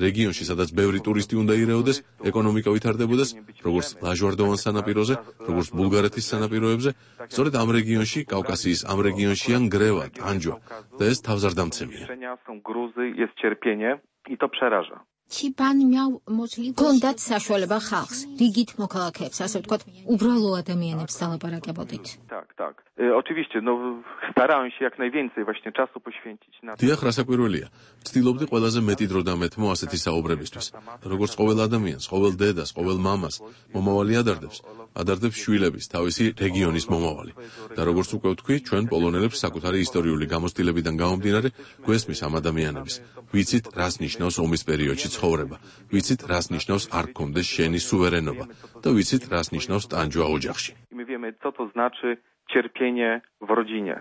რეგიონში, სადაც ბევრი ტურისტი უნდა ირეოდეს, ეკონომიკა ვითარდებოდეს, როგორც ლაჟვარდოვან სანაპიროზე, როგორც ბულგარეთის სანაპიროებზე, სწორედ ამ რეგიონში, კავკასიის ამ რეგიონშია ნგრევა, ტანჯვა და ეს თავზარდამცემია. Są gruzy, jest cierpienie i to przeraża. Чи пан мяу можливо კონდათ საშუალება ხალხს, რიგით მოქალაქეებს, ასე ვთქვათ, უბრალო ადამიანებს დალაპარაკებოდით? Tak, tak. E, oczywiście, no starałem się jak najwięcej właśnie czasu poświęcić na... დიახ, რასაკვირველია. ვცდილობდი ყველაზე მეტი დრო დამეთმო ასეთი საუბრებისთვის. როგორც ყოველ ადამიანს, ყოველ დედას, ყოველ მამას, მომავალი ადარდებს, ადარდებს შვილების, თავისი რეგიონის მომავალი. და როგორც უკვე ვთქვი, ჩვენ პოლონელებს საკუთარი ისტორიული გამოცდილებიდან გამომდინარე, გვესმის ამ ადამიანების. ვიცით, რას ნიშნავს ომის პერიოდში ცხოვრება. ვიცით, რას ნიშნავს არ გქონდეს შენი სუვერენობა და ვიცით, რას ნიშნავს ტანჯვა ოჯახში. My wiemy, co to znaczy cierpienie w rodzinie.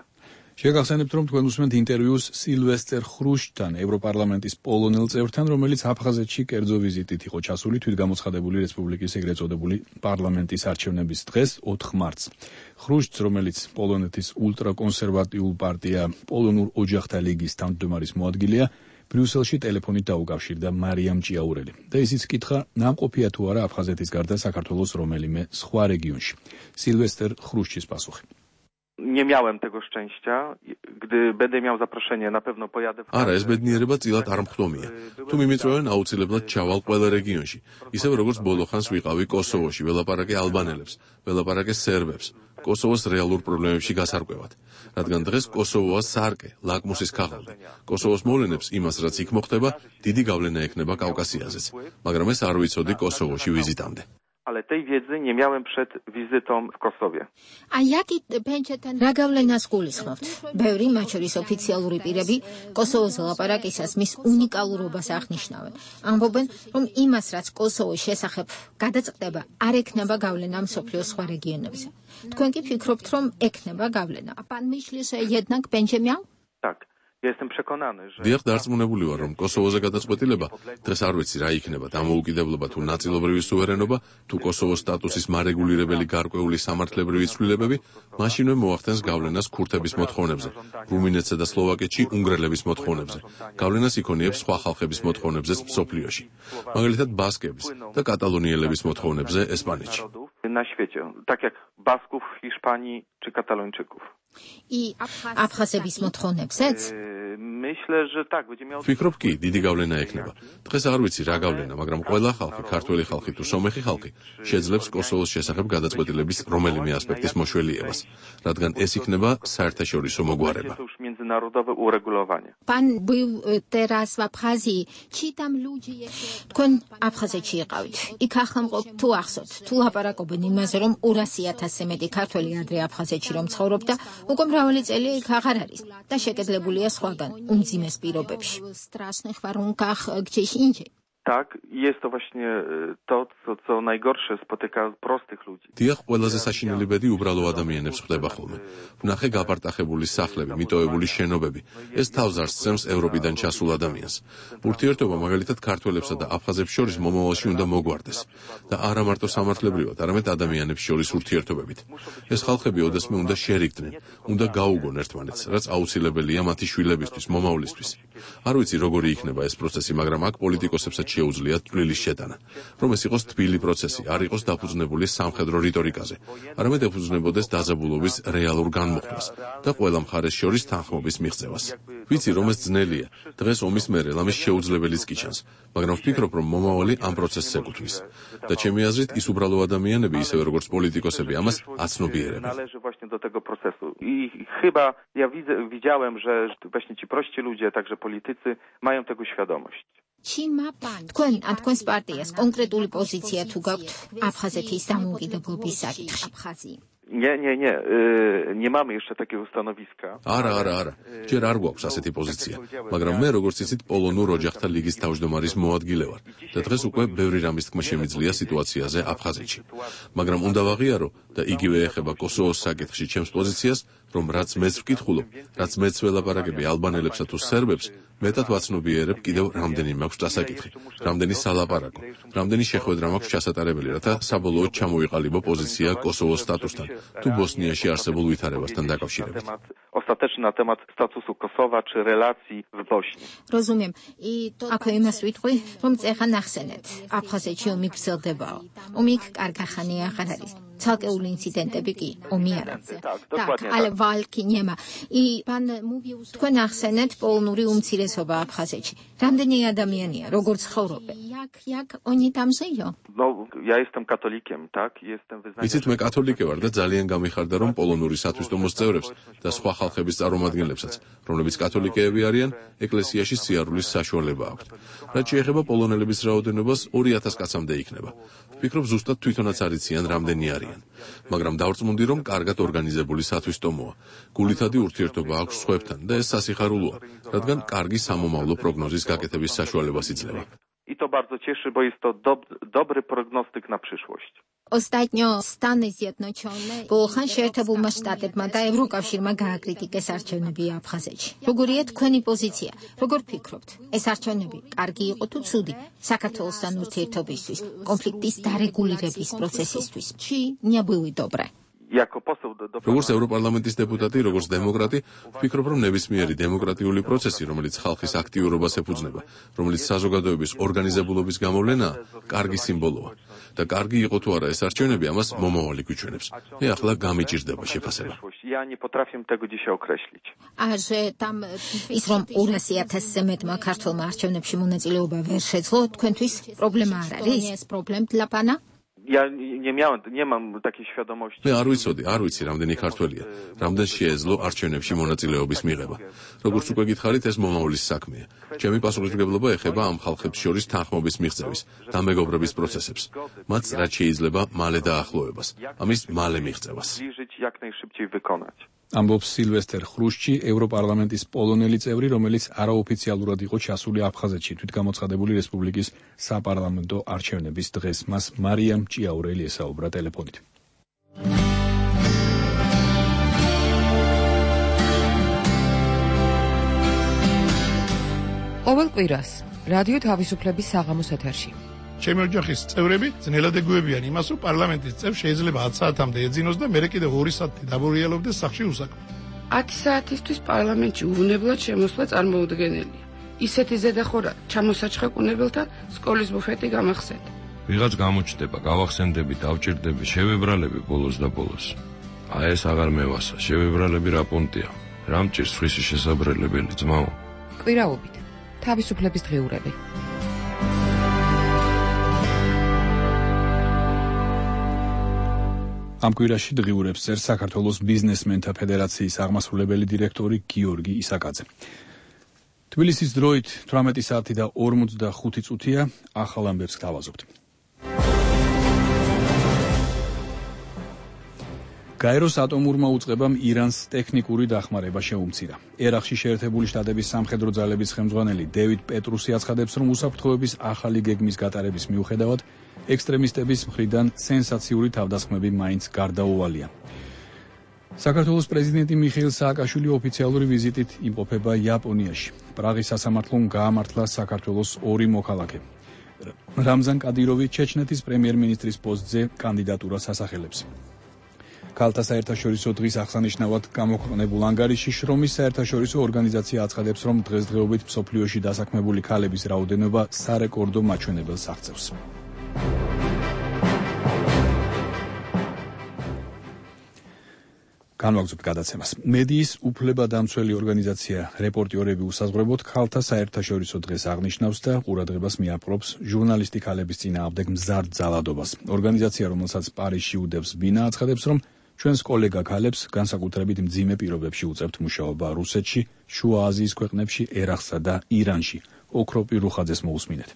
შეგახსენებთ, რომ თქვენ უსმენთ ინტერვიუს სილვესტერ ხრუშჩთან, ევროპარლამენტის პოლონელ წევრთან, რომელიც აფხაზეთში კერძო ვიზიტით იყო ჩასული თვითგამოცხადებული რესპუბლიკის ეგრეთ წოდებული პარლამენტის არჩევნების დღეს, ოთხ მარტს. ხრუშჩს, რომელიც პოლონეთის ულტრაკონსერვატიულ პარტია პოლონურ ოჯახთა ლიგის თავმჯდომარის მოადგილეა, ბრიუსელში ტელეფონით დაუკავშირდა მარიამ ჭიაურელი და ისიც კითხა, ნამყოფია თუ არა აფხაზეთის გარდა საქართველოს რომელიმე სხვა რეგიონში. სილვესტერ ხრუშჩის პასუხი. Nie miałem tego szczęścia. Gdy będę miał zaproszenie, na pewno pojadę. არა, ეს ბედნიერება წილად არ მხდომია. თუ მიმიწვევენ, აუცილებლად ჩავალ ყველა რეგიონში. ისევ როგორც ბოლო ხანს ვიყავი კოსოვოში, ველაპარაკე ალბანელებს, ველაპარაკე სერბებს, კოსოვოს რეალურ პრობლემებში გასარკვევად. რადგან დღეს კოსოვოა სარკე, ლაკმუსის ქაღალდი. კოსოვოს მოვლენებს იმას, რაც იქ მოხდება, დიდი გავლენა ექნება კავკასიაზეც. მაგრამ ეს არ ვიცოდი კოსოვოში ვიზიტამდე. Ale tej wiedzy nie miałem przed wizytą w Kosowie. A jaki pęczetan რა გავლენას გულისხმობთ? ბევრი, მათ შორის ოფიციალური პირები, კოსოვოს ლაპარაკისას მის უნიკალურობას აღნიშნავენ. ამბობენ, რომ იმას, რაც კოსოვოს შესახებ გადაწყდება, არ ექნება გავლენა მსოფლიოს სხვა რეგიონებზე. თქვენ კი ფიქრობთ, რომ ექნება გავლენა? Pan myśli, że jednak będzie miał? Tak. Ja jestem przekonany, że... დიახ, დარწმუნებული ვარ, რომ კოსოვოზე გადაწყვეტილება, დღეს არ ვიცი რა იქნება, დამოუკიდებლობა თუ ნაწილობრივი სუვერენობა, თუ კოსოვოს სტატუსის მარეგულირებელი გარკვეული სამართლებრივი ცვლილებები, მაშინვე მოახდენს გავლენას ქურთების მოთხოვნებზე, რუმინეთსა და სლოვაკეთში უნგრელების მოთხოვნებზე. გავლენას იქონიებს სხვა ხალხების მოთხოვნებზეც მსოფლიოში. მაგალითად, ბასკების და კატალონიელების მოთხოვნებზე ესპანეთში. Na świecie, tak jak Basków w Hiszpanii czy Katalończyków. I აფხაზების მოთხოვნებზეც? My ვფიქრობ კი, დიდი გავლენა ექნება. დღეს არ ვიცი რა გავლენა, მაგრამ ყველა ხალხი, ქართველი ხალხი თუ სომეხი ხალხი შეძლებს კოსოვოს შესახებ გადაწყვეტილების რომელიმე ასპექტის მოშველიებას, რადგან ეს იქნება საერთაშორისო მოგვარება. Pan był teraz w Abchazji. Ci tam ludzie თქვენ აფხაზეთში იყავით. იქ ახალმყოფ თუ ახსოვთ, თუ ლაპარაკობენ იმაზე, რომ ორასი ათასზე მეტი ქართველი ადრე აფხაზეთში რომ ცხოვრობდა, უკვე მრავალი წელი იქ აღარ არის და შეკეთებულია სხვაგან, უმძიმეს პირობებში. Strasznych warunkach gdzieś indziej. Tak, jest to właśnie to, co, co najgorsze spotyka prostych ludzi. დიახ, ყველაზე საშინელი ბედი უბრალო ადამიანებს ხდება ხოლმე. ვნახე გაპარტახებული სახლები, მიტოვებული შენობები. ეს თავს არ სცემს ევროპიდან ჩასულ ადამიანს. ურთიერთობა მაგალითად ქართველებსა და აფხაზებს შორის მომავალში უნდა მოგვარდეს და არა მარტო სამართლებრივად, არამედ ადამიანებს შორის ურთიერთობებით. ეს ხალხები ოდესმე უნდა შერიგდნენ, უნდა გაუგონ ერთმანეთს, რაც აუცილებელია მათი შვილებისთვის, მომავლისთვის. არ ვიცი როგორი იქნება ეს პროცესი, მაგრამ აქ პოლიტიკოსებსაც შეუძლიათ თბილის შეტანა, რომ ეს იყოს თბილი პროცესი, არ იყოს დაფუძნებული სამხედრო რიტორიკაზე, არამედ ეფუძნებოდეს დაძაბულობის რეალურ განმუხტვას და ყველა მხარეს შორის თანხმობის მიღწევას. ვიცი, რომ ეს ძნელია, დღეს ომის მერე ამის შეუძლებელიც კი ჩანს, მაგრამ ვფიქრობ, რომ მომავალი ამ პროცესს ეკუთვნის. და ჩემი აზრით, ის უბრალო ადამიანები, ისევე როგორც პოლიტიკოსები, ამას აცნობიერებენ. Należy właśnie do tego procesu. I chyba ja widzę, widziałem, że właśnie ci prości ludzie, także politycy mają tego świadomość. თქვენ ან თქვენს პარტიას კონკრეტული პოზიცია თუ გაქვთ აფხაზეთის დამოუკიდებლობის საკითხში? Nie, nie, nie. Yy, nie mamy jeszcze takiego stanowiska. არა, არა, არა. ჯერ არ გვაქვს ასეთი პოზიცია, მაგრამ მე როგორც იცით, პოლონურ ოჯახთა ლიგის თავმჯდომარის მოადგილე ვარ და დღეს უკვე ბევრი რამის თქმა შემიძლია სიტუაციაზე აფხაზეთში. მაგრამ უნდა ვაღიარო და იგივე ეხება კოსოვოს საკითხში ჩემს პოზიციას, რომ რაც მეც ვკითხულობ, რაც მეც ველაპარაკები ალბანელებსა თუ სერბებს, მეტად ვაცნობიერებ კიდევ რამდენი მაქვს დასაკითხი, რამდენი სალაპარაკო, რამდენი შეხვედრა მაქვს ჩასატარებელი, რათა საბოლოოდ ჩამოვიყალიბო პოზიცია კოსოვოს სტატუსთან თუ ბოსნიაში არსებულ ვითარებასთან დაკავშირებით. Ostateczny na temat statusu Kosowa czy relacji w Bośni. Rozumiem. I to აქვე იმას ვიტყვი, რომ წერა ნახსენეთ. აფხაზეთში ომი გრძელდებაო. ომი კარგახანი აღარ არის. Całkowny incydentები კი ომი არა. Tak, ale walki nie ma. I pan mówił, თქვენ ახსენეთ პოლონური უმცირესობა აფხაზეთში. რამდენი ადამიანია, როგორც ცხოვრობენ? Jak jak oni tam żyją? No, ja jestem katolikiem, tak? Jestem wyznania. Იცით, მე კათოლიკე ვარ და ძალიან გამიხარდა, რომ პოლონური სათვისტომოს წევრებს და სხვა ხალხების წარმომადგენლებსაც, რომლებიც კათოლიკეები არიან, ეკლესიაში სიარულის საშუალება აქვთ. რაც შეეხება პოლონელების რაოდენობას, ორი ათას კაცამდე იქნება. ვფიქრობ, ზუსტად თვითონაც არიციან რამდენი არიან. მაგრამ დავწმუნდი, რომ კარგად ორგანიზებული სათვისტომოა. გულითადი ურთიერთობა აქვს სხვებთან და ეს სასიხარულოა, რადგან კარგი სამომავლო პროგნოზის გაკეთების საშუალებას იძლევა. I to bardzo cieszy, bo jest to dob dobry prognostyk na przyszłość. Ostatnio Stany Zjednoczone ბოლხან შეერთებულმა შტატებმა და ევროკავშირმა გააკრიტიკეს არჩევნები აფხაზეთში. როგორია თქვენი პოზიცია? როგორ ფიქრობთ? ეს არჩევნები კარგი იყო თუ ცუდი საქართველოსთან ურთიერთობისთვის, კონფლიქტის დარეგულირების პროცესისთვის? Чи не были добре? როგორც ევროპარლამენტის დეპუტატი, როგორც დემოკრატი, ვფიქრობ, რომ ნებისმიერი დემოკრატიული პროცესი, რომელიც ხალხის აქტიურობას ეფუძნება, რომელიც საზოგადოების ორგანიზებულობის გამოვლენაა, კარგი სიმბოლოა. და კარგი იყო თუ არა ეს არჩევნები, ამას მომავალი გვიჩვენებს. მე ახლა გამიჭირდება შეფასება. Ja nie potrafię tego dzisiaj określić. A że tam ის რომ ორასი ათასზე მეტმა ქართველმა არჩევნებში მონაწილეობა ვერ შეძლო, თქვენთვის პრობლემა არ არის? ეს პრობლემა dla pana? Ja nie miałem, nie mam takiej świadomości. მე არ ვიცოდი, არ ვიცი რამდენი ქართველია, რამდენს შეეძლო არჩევნებში მონაწილეობის მიღება. როგორც უკვე გითხარით, ეს მომავლის საქმეა. ჩემი პასუხისმგებლობა ეხება ამ ხალხებს შორის თანხმობის მიღწევის და მეგობრობის პროცესებს. მათ რაც შეიძლება მალე დაახლოებას, ამის მალე მიღწევას. ამბობს სილვესტერ ხრუშჩი, ევროპარლამენტის პოლონელი წევრი, რომელიც არაოფიციალურად იყო ჩასული აფხაზეთში თვითგამოცხადებული რესპუბლიკის საპარლამენტო არჩევნების დღეს. მას მარიამ ჭიაურელი ესაუბრა ტელეფონით. ყოველ კვირას რადიო თავისუფლების საღამოს ეთერში ჩემი ოჯახის წევრები ძნელად ეგუებიან იმას, რომ პარლამენტის წევრ შეიძლება ათი საათამდე ეძინოს და მერე კიდევ ორი საათი დაბურიელობდეს სახლში უსაქმოდ. ათი საათისთვის პარლამენტში უვნებლად შემოსვლა წარმოუდგენელია. ისეთი ზედახორა ჩამოსაჩხეკუნებელთა სკოლის ბუფეტი გამახსენდა. ვიღაც გამოჩნდება, გავახსენდები, დავჭირდები, შევებრალები ბოლოს და ბოლოს. აი ეს აღარ მევასა, შევებრალები რა პონტია. რა მჭირს ხისი შესაბრელებელი ძმაო? კვირაობით თავისუფლების დღიურები. ამ კვირაში დღიურებს წერს საქართველოს ბიზნესმენთა ფედერაციის აღმასრულებელი დირექტორი გიორგი ისაკაძე. თბილისის დროით თვრამეტი საათი და ორმოცდახუთი წუთია, ახალ ამბებს გავაზობთ. გაეროს ატომურმა უწყებამ ირანს ტექნიკური დახმარება შეუმცირა. ერაყში შეერთებული შტატების სამხედრო ძალების ხელმძღვანელი დევიდ პეტრუსი აცხადებს, რომ უსაფრთხოების ახალი გეგმის გატარების მიუხედავად ექსტრემისტების მხრიდან სენსაციური თავდასხმები მაინც გარდაუვალია. საქართველოს პრეზიდენტი მიხეილ სააკაშვილი ოფიციალური ვიზიტით იმყოფება იაპონიაში. პრაღის სასამართლომ გაამართლა საქართველოს ორი მოქალაქე. რამზან კადიროვი ჩეჩნეთის პრემიერ-მინისტრის პოსტზე კანდიდატურას ასახელებს. ქალთა საერთაშორისო დღის აღსანიშნავად გამოქვეყნებულ ანგარიში შრომის საერთაშორისო ორგანიზაცია აცხადებს, რომ დღესდღეობით მსოფლიოში დასაქმებული ქალების რაოდენობა სარეკორდო მაჩვენებელს აღწევს. განვაგრძობთ გადაცემას. მედიის უფლებადამცველი ორგანიზაცია რეპორტიორები უსაზღვრებოდ ქალთა საერთაშორისო დღეს აღნიშნავს და ყურადღებას მიაპყრობს ჟურნალისტი ქალების წინააღმდეგ მზარდ ძალადობას. ორგანიზაცია, რომელსაც პარიზში უდევს ბინა, აცხადებს, რომ ჩვენს კოლეგა ქალებს განსაკუთრებით მძიმე პირობებში უწევთ მუშაობა რუსეთში, შუა აზიის ქვეყნებში, ერაყსა და ირანში. ოქროპი რუხაძეს მოусმინეთ.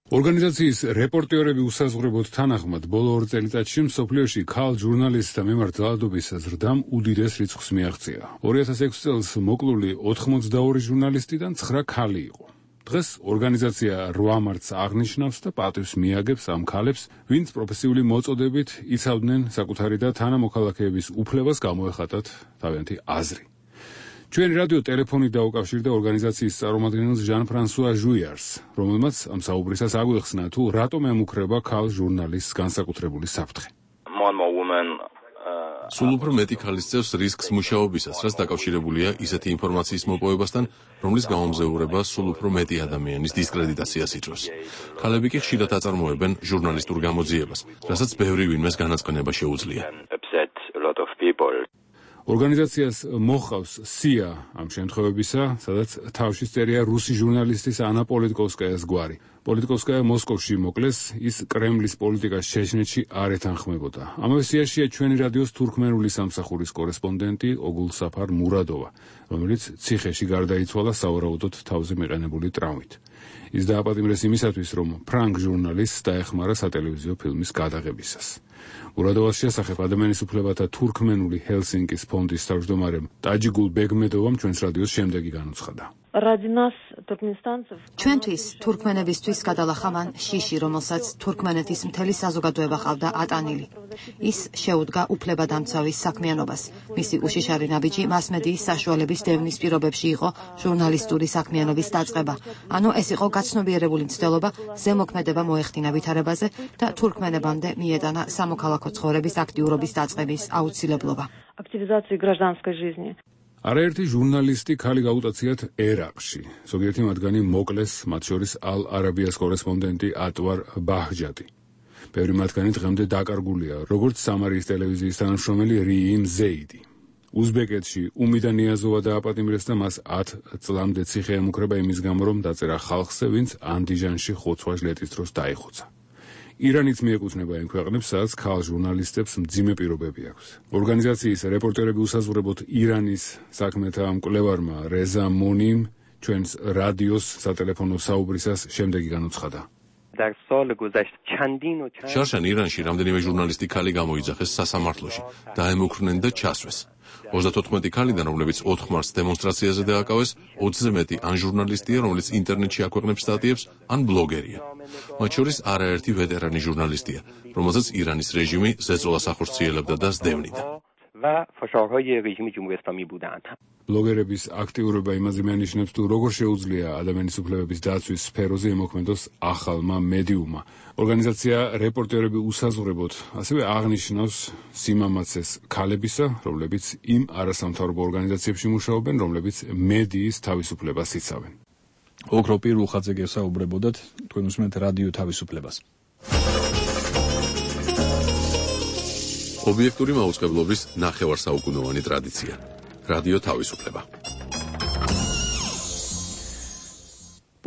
ორგანიზაციის რეპორტიორები უსაზღვრებოდ თანახმად ბოლო ორ წელიწადში მსოფლიოში ქალ ჟურნალისტთა მიმართ ძალადობის ზრდამ უდიდეს რიცხვს მიაღწია. ორი ათას ექვსი წელს მოკლული ოთხმოცდაორი ჟურნალისტიდან ცხრა ქალი იყო. დღეს ორგანიზაცია რვა მარტს აღნიშნავს და პატივს მიაგებს ამ ქალებს, ვინც პროფესიული მოწოდებით იცავდნენ საკუთარი და თანამოქალაქეების უფლებას გამოეხატათ თავიანთი აზრი. ჩვენი რადიო ტელეფონით დაუკავშირდა ორგანიზაციის წარმომადგენელს ჟან-ფრანსუა ჟუიარს, რომელმაც ამ საუბრისას აგვიხსნა თუ რატომ ემუქრება ქალ ჟურნალისტს განსაკუთრებული საფრთხე. სულ უფრო მეტი ქალის წევს რისკს მუშაობისას, რაც დაკავშირებულია ისეთი ინფორმაციის მოპოვებასთან, რომლის გამომზეურება სულ უფრო მეტი ადამიანის დისკრედიტაციას იწვევს. ქალები კი ხშირად აწარმოებენ ჟურნალისტურ გამოძიებას, რასაც ბევრი ვინმეს განაცხადება შეუძლია. ორგანიზაციას მოჰყავს სია ამ შემთხვევებისა, სადაც თავში წერია რუსი ჟურნალისტის ანა პოლიტკოვსკაიას გვარი. პოლიტკოვსკაია მოსკოვში მოკლეს, ის კრემლის პოლიტიკას ჩეჩნეთში არ ეთანხმებოდა. ამავე სიაშია ჩვენი რადიოს თურქმენული სამსახურის კორესპონდენტი ოგულსაფარ მურადოვა, რომელიც ციხეში გარდაიცვალა სავარაუდოდ თავზე მიყენებული ტრავმით. ის დააპატიმრეს იმისათვის, რომ ფრანგ ჟურნალისტს დაეხმარა სატელევიზიო ფილმის გადაღებისას. მურადოვას შესახებ ადამიანის უფლებათა თურქმენული ჰელსინკის ფონდის თავმჯდომარემ ტაჯიგულ ბეგმედოვამ ჩვენს რადიოს შემდეგი განუცხადა. ჩვენთვის თურქმენებისთვის გადალახა მან შიში, რომელსაც თურქმენეთის მთელი საზოგადოება ყავდა ატანილი. ის შეუდგა უფლებადამცავის საქმიანობას. მისი უშიშარი ნაბიჯი მასმედიის საშუალების დევნის პირობებში იყო ჟურნალისტური საქმიანობის დაწყება. ანუ ეს იყო გაცნობიერებული მცდელობა, ზემოქმედება მოეხდინა ვითარებაზე და თურქმენებამდე მიეტანა სამოქალაქო ცხოვრების აქტიურობის დაწყების აუცილებლობა. არაერთი ჟურნალისტი ქალი გაუტაციათ ერაყში. ზოგიერთი მათგანი მოკლეს, მათ შორის ალ-არაბიას კორესპონდენტი ატვარ ბაჰჯადი. ბევრი მათგანი დღემდე დაკარგულია, როგორც სამარიის ტელევიზიის თანამშრომელი რიიმ ზეიდი. უზბეკეთში უმიდა ნიაზოვა დააპატიმრეს და მას ათ წლამდე ციხე ემუქრება იმის გამო, რომ დაწერა ხალხზე, ვინც ანდიჟანში ხოცვა ჟლეტის დროს დაიხოცა. ირანიც მიეკუთვნება იმ ქვეყნებს, სადაც ქალ ჟურნალისტებს მძიმე პირობები აქვს. ორგანიზაციის რეპორტერები უსაზღვრებოდ ირანის საქმეთა მკვლევარმა რეზა მონიმ ჩვენს რადიოს სატელეფონო საუბრისას შემდეგი განუცხადა. შარშან ირანში რამდენიმე ჟურნალისტი ქალი გამოიძახეს სასამართლოში, დაემუქრნენ და ჩასვეს. ოცდათოთხმეტი ქალიდან, რომლებიც ოთხ მარტს დემონსტრაციაზე დააკავეს, ოცზე მეტი ან ჟურნალისტია, რომელიც ინტერნეტში აქვეყნებს სტატიებს, ან ბლოგერია. მათ შორის არაერთი ვეტერანი ჟურნალისტია, რომელსაც ირანის რეჟიმი ზეწოლას ახორციელებდა და სდევნიდა. ბლოგერების აქტიურობა იმაზე მენიშნებს, თუ როგორ შეუძლია ადამიანის უფლებების დაცვის სფეროზე ემოქმედოს ახალმა მედიუმმა. ორგანიზაცია რეპორტერები უსაზღვრებოდ ასევე აღნიშნავს სიმამაცეს ქალებისა, რომლებიც იმ არასამთავრობო ორგანიზაციებში მუშაობენ, რომლებიც მედიის თავისუფლებას იცავენ. ოქროპი რუხაძე გესაუბრებოდათ, თქვენ უსმენთ რადიო თავისუფლებას. ობიექტური მაუწყებლობის ნახევარსაუკუნოვანი ტრადიცია. რადიო თავისუფლება.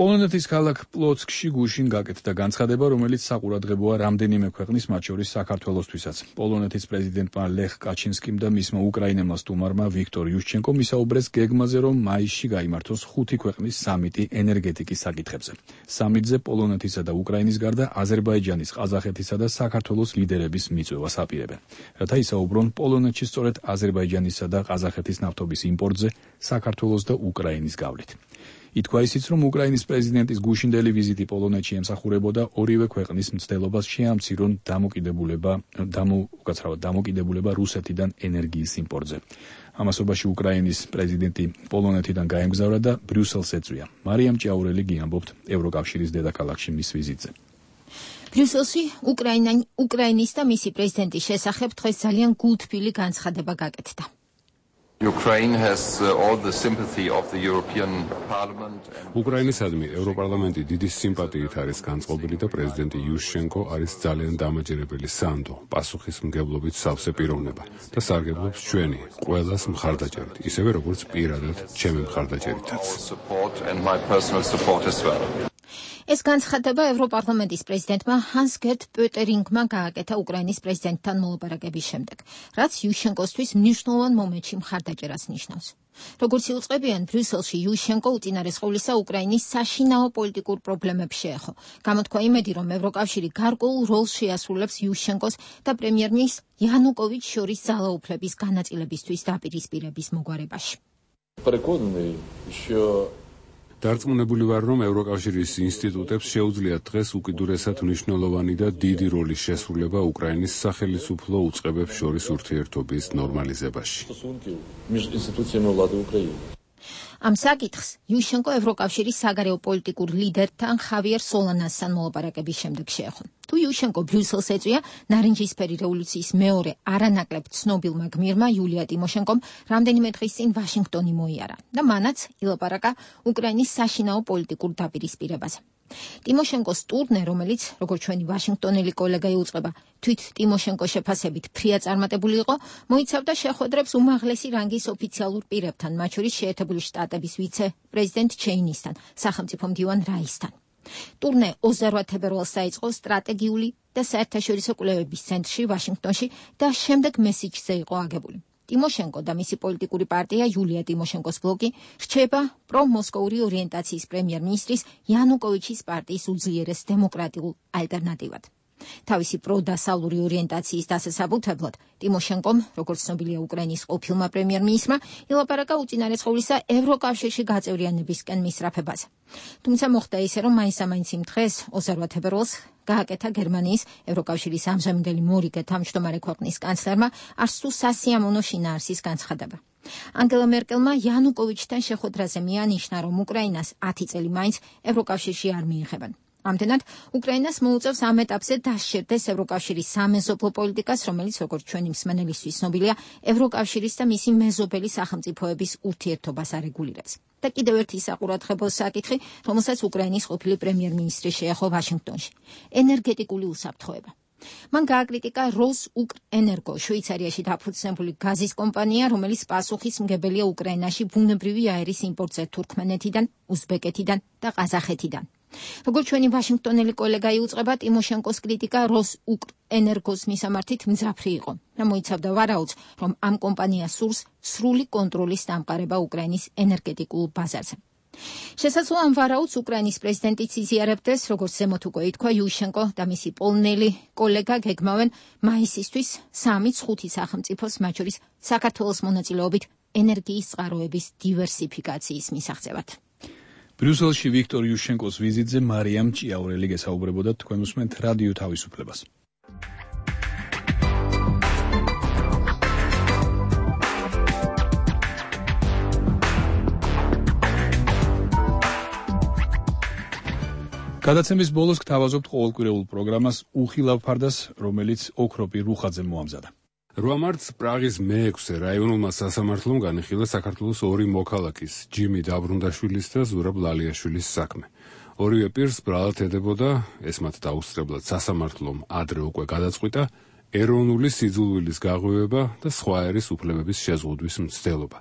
პოლონეთის ქალაქ პლოცკში გუშინ გაკეთდა განცხადება, რომელიც საყურადღებოა რამდენიმე ქვეყნის, მათ შორის საქართველოსთვისაც. პოლონეთის პრეზიდენტმა ლეხ კაჩინსკიმ და მისმა უკრაინელმა სტუმარმა ვიქტორ იუშჩენკომ ისაუბრეს გეგმაზე, რომ მაისში გაიმართოს ხუთი ქვეყნის სამიტი ენერგეტიკის საკითხებზე. სამიტზე პოლონეთისა და უკრაინის გარდა აზერბაიჯანის, ყაზახეთისა და საქართველოს ლიდერების მიწვევას აპირებენ. რათა ისაუბრონ პოლონეთში სწორედ აზერბაიჯანისა და ყაზახეთის ნავთობის იმპორტზე საქართველოს და უკრაინის გავლით. ითქვა ისიც, რომ უკრაინის პრეზიდენტის გუშინდელი ვიზიტი პოლონეთში ემსახურებოდა ორივე ქვეყნის მცდელობას შეამცირონ დამოკიდებულება დამოკაცრავად დამოკიდებულება რუსეთიდან ენერგიის იმპორტზე. ამასობაში უკრაინის პრეზიდენტი პოლონეთიდან გაემგზავრა და ბრიუსელს ეწვია. მარიამ ჭიაურელი გიამბობთ ევროკავშირის დედაქალაქში მის ვიზიტზე. ბრიუსელში უკრაინის და მისი პრეზიდენტის შესახებ დღეს ძალიან გულთბილი განცხადება გაკეთდა. Ukraine has uh, all the sympathy of the European Parliament. უკრაინისადმი ევროპარლამენტი დიდი სიმპათიით არის განწყობილი და პრეზიდენტი იუშჩენკო არის ძალიან დამაჯერებელი სანდო, პასუხისმგებლობით სავსე პიროვნება და სარგებლობს ჩვენი ყველას მხარდაჭერით, ისევე როგორც პირადად ჩემი მხარდაჭერითაც. ეს განცხადება ევროპარლამენტის პრეზიდენტმა ჰანს გერტ პოტერინგმა გააკეთა უკრაინის პრეზიდენტთან მოლაპარაკების შემდეგ, რაც იუშჩენკოსთვის მნიშვნელოვან მომენტში მხარდაჭერას ნიშნავს. როგორც იუწყებიან, ბრიუსელში იუშჩენკო უწინარესყოვლისა უკრაინის საშინაო პოლიტიკურ პრობლემებს შეეხო. გამოთქვა იმედი, რომ ევროკავშირი გარკვეულ როლს შეასრულებს იუშჩენკოს და პრემიერ-მინისტრ იანუკოვიჩს შორის ძალაუფლების განაწილებისთვის დაპირისპირების მოგვარებაში. დარწმუნებული ვარ, რომ ევროკავშირის ინსტიტუტებს შეუძლიათ დღეს უკიდურესად მნიშვნელოვანი და დიდი როლის შესრულება უკრაინის სახელმწიფო უწყებებს შორის ურთიერთობის ნორმალიზებაში. ამ საკითხს იუშჩენკო ევროკავშირის საგარეო პოლიტიკურ ლიდერთან ხავიერ სოლანასთან მოლაპარაკების შემდეგ შეეხო. თუ იუშჩენკო ბრიუსელს ეწვია, ნარინჯისფერი რევოლუციის მეორე არანაკლებ ცნობილმა გმირმა იულია ტიმოშენკომ რამდენიმე დღის წინ ვაშინგტონი მოიარა და მანაც ილაპარაკა უკრაინის საშინაო პოლიტიკურ დაპირისპირებაზე. ტიმოშენკოს ტურნე, რომელიც, როგორც ჩვენი ვაშინგტონელი კოლეგა იუწყება, თვით ტიმოშენკოს შეფასებით ფრია წარმატებული იყო, მოიცავდა შეხვედრებს უმაღლესი რანგის ოფიციალურ პირებთან, მათ შორის შეერთებული შტატების ვიცე-პრეზიდენტ ჩეინისთან, სახელმწიფო მდივან რაისთან. ტურნე ოცდაოთხ თებერვალს დაიწყო სტრატეგიული და საერთაშორისო კვლევების ცენტრში ვაშინგტონში და შემდეგ მესიჯზე იყო აგებული. ტიმოშენკო და მისი პოლიტიკური პარტია იულია ტიმოშენკოს ბლოკი რჩება პრომოსკოვური ორიენტაციის პრემიერ-მინისტრის იანუკოვიჩის პარტიის უძლიერეს დემოკრატიულ ალტერნატივად. თავისი პროდასავლური ორიენტაციის დასასაბუთებლად ტიმოშენკომ, როგორც ცნობილია უკრაინის ყოფილმა პრემიერ-მინისტრმა, ილაპარაკა უწინარესყოვლისა ევროკავშირში გაწევრიანებისკენ მისწრაფებაზე. თუმცა მოხდა ისე, რომ მაინც-მაინც იმ დღეს, ოცდაოთხ თებერვალს, გააკეთა გერმანიის ევროკავშირის ამჟამინდელი მორიგე თავმჯდომარე ქვეყნის კანცლერმა არც თუ სასიამოვნო შინაარსის განცხადება. ანგელა მერკელმა იანუკოვიჩთან შეხვედრაზე მიანიშნა, რომ უკრაინას ათი წელი მაინც ევროკავშირში არ მიიღებენ. ამდენად, უკრაინას მოუწევს ამ ეტაპზე დასჯერდეს ევროკავშირის სამეზობლო პოლიტიკას, რომელიც, როგორც ჩვენი მსმენელისთვის ცნობილია, ევროკავშირის და მისი მეზობელი სახელმწიფოების ურთიერთობას არეგულირებს. და კიდევ ერთი საყურადღებო საკითხი, რომელსაც უკრაინის ყოფილი პრემიერ-მინისტრი შეეხო ვაშინგტონში. ენერგეტიკული უსაფრთხოება. მან გააკრიტიკა როსუკრენერგო, შვეიცარიაში დაფუძნებული გაზის კომპანია, რომელიც პასუხისმგებელია უკრაინაში ბუნებრივი აერის იმპორტზე თურქმენეთიდან, უზბეკეთიდან და ყაზახეთიდან. როგორც ჩვენი ვაშინგტონელი კოლეგა იუწყება, ტიმოშენკოს კრიტიკა როსუკრენერგოს მისამართით მძაფრი იყო და მოიცავდა ვარაუდს, რომ ამ კომპანიას სურს სრული კონტროლის დამყარება უკრაინის ენერგეტიკულ ბაზარზე. შესაძლოა ამ ვარაუდს უკრაინის პრეზიდენტიც იზიარებდეს, როგორც ზემოთ უკვე ითქვა, იუშჩენკო და მისი პოლონელი კოლეგა გეგმავენ მაისისთვის სამიც ხუთი სახელმწიფოს, მათ შორის საქართველოს მონაწილეობით ენერგიის წყაროების დივერსიფიკაციის მისაღწევად. ბრიუსელში ვიქტორ იუშჩენკოს ვიზიტზე მარიამ ჭიაურელი გესაუბრებოდა, თქვენ უსმენთ რადიო თავისუფლებას. გადაცემის ბოლოს გთავაზობთ ყოველკვირეულ პროგრამას უხილავ ფარდას, რომელიც ოქროპი რუხაძემ მოამზადა. რვა მარტს პრაღის მეექვსე რაიონულმა სასამართლომ განიხილა საქართველოს ორი მოქალაქის, ჯიმი დაბრუნდაშვილის და ზურაბ ლალიაშვილის საქმე. ორივე პირს ბრალად ედებოდა, ეს მათ დაუსწრებლად სასამართლომ ადრე უკვე გადაწყვიტა, ეროვნული სიძულვილის გაღვივება და სხვა ერის უფლებების შეზღუდვის მცდელობა.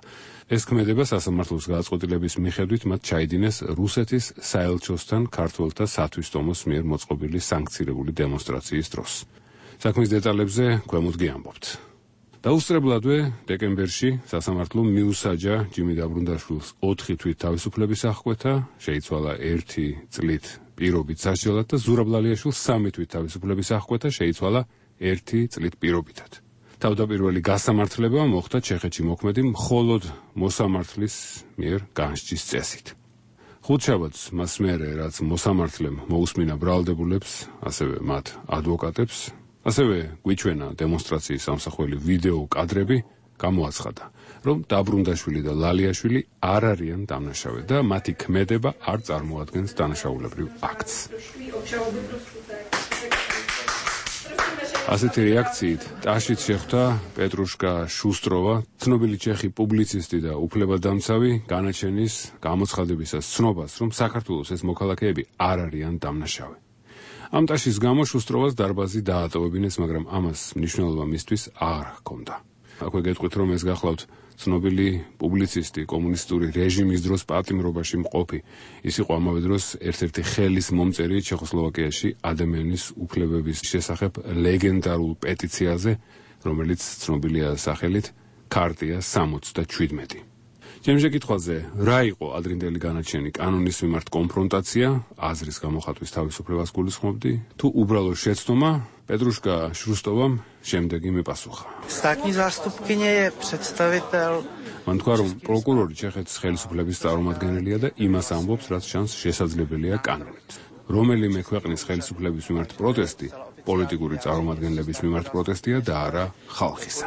ეს ქმედება სასამართლოს გადაწყვეტილების მიხედვით მათ ჩაიდინეს რუსეთის საელჩოსთან ქართველთა სათვისტომოს მიერ მოწყობილი სანქცირებული დემონსტრაციის დროს. საქმის დეტალებზე ქვემოთ გიამბობთ. დაუსწრებლადვე დეკემბერში სასამართლომ მიუსაჯა ჯიმი დაბრუნდაშვილს ოთხი თვით თავისუფლების აღკვეთა, შეიცვალა ერთი წლით პირობით სასჯელად და ზურაბ ლალიაშვილს სამი თვით თავისუფლების აღკვეთა, შეიცვალა ერთი წლით პირობითად. თავდაპირველი გასამართლება მოხდა ჩეხეთში მოქმედი მხოლოდ მოსამართლის მიერ განსჯის წესით. ხუთშაბათს მას მერე, რაც მოსამართლემ მოусმინა ბრალდებულებს, ასევე მათ ადვოკატებს, ასევე გვიჩვენა დემონსტრაციის სამსახველი ვიდეო კადრები, გამოაცხადა, რომ დაბრუნდაშვილი და ლალიაშვილი არ არიან დამნაშავე და მათი ქმედება არ წარმოადგენს დანაშაულებრივ აქტს. ასეთი რეაქციით ტაშით შეხვდა პეტრუშკა შუსტროვა, ცნობილი ჩეხი პუბლიცისტი და უფლებადამცავი, განაჩენის გამოცხადებისას ცნობას, რომ საქართველოს ეს მოქალაქეები არ არიან დამნაშავე. ამ ტაშის გამო შუსტროვას დარბაზი დაატოვებინეს, მაგრამ ამას მნიშვნელობა მისთვის არ ჰქონდა. აქვე გეტყვით, რომ ეს გახლავთ ცნობილი პუბლიცისტი, კომუნისტური რეჟიმის დროს პატიმრობაში მყოფი. ის იყო ამავე დროს ერთ-ერთი ხელის მომწერი ჩეხოსლოვაკიაში ადამიანის უფლებების შესახებ ლეგენდარულ პეტიციაზე, რომელიც ცნობილია სახელით ქარტია სამოცდაშვიდმეტი. ჩემს შეკითხვაზე, რა იყო ადრინდელი განაჩენი კანონის მიმართ კონფრონტაცია, აზრის გამოხატვის თავისუფლებას გულისხმობდი, თუ უბრალო შეცდომა, პეტრუშკა შუსტოვამ შემდეგი მიპასუხა. Státní zástupkyně je představitel. მან თქვა, რომ პროკურორი ჩეხეთის ხელისუფლების წარმომადგენელია და იმას ამბობს, რაც ჩანს შესაძლებელია კანონით. რომელიმე ქვეყნის ხელისუფლების მიმართ პროტესტი პოლიტიკური წარმომადგენლების მიმართ პროტესტია და არა ხალხისა.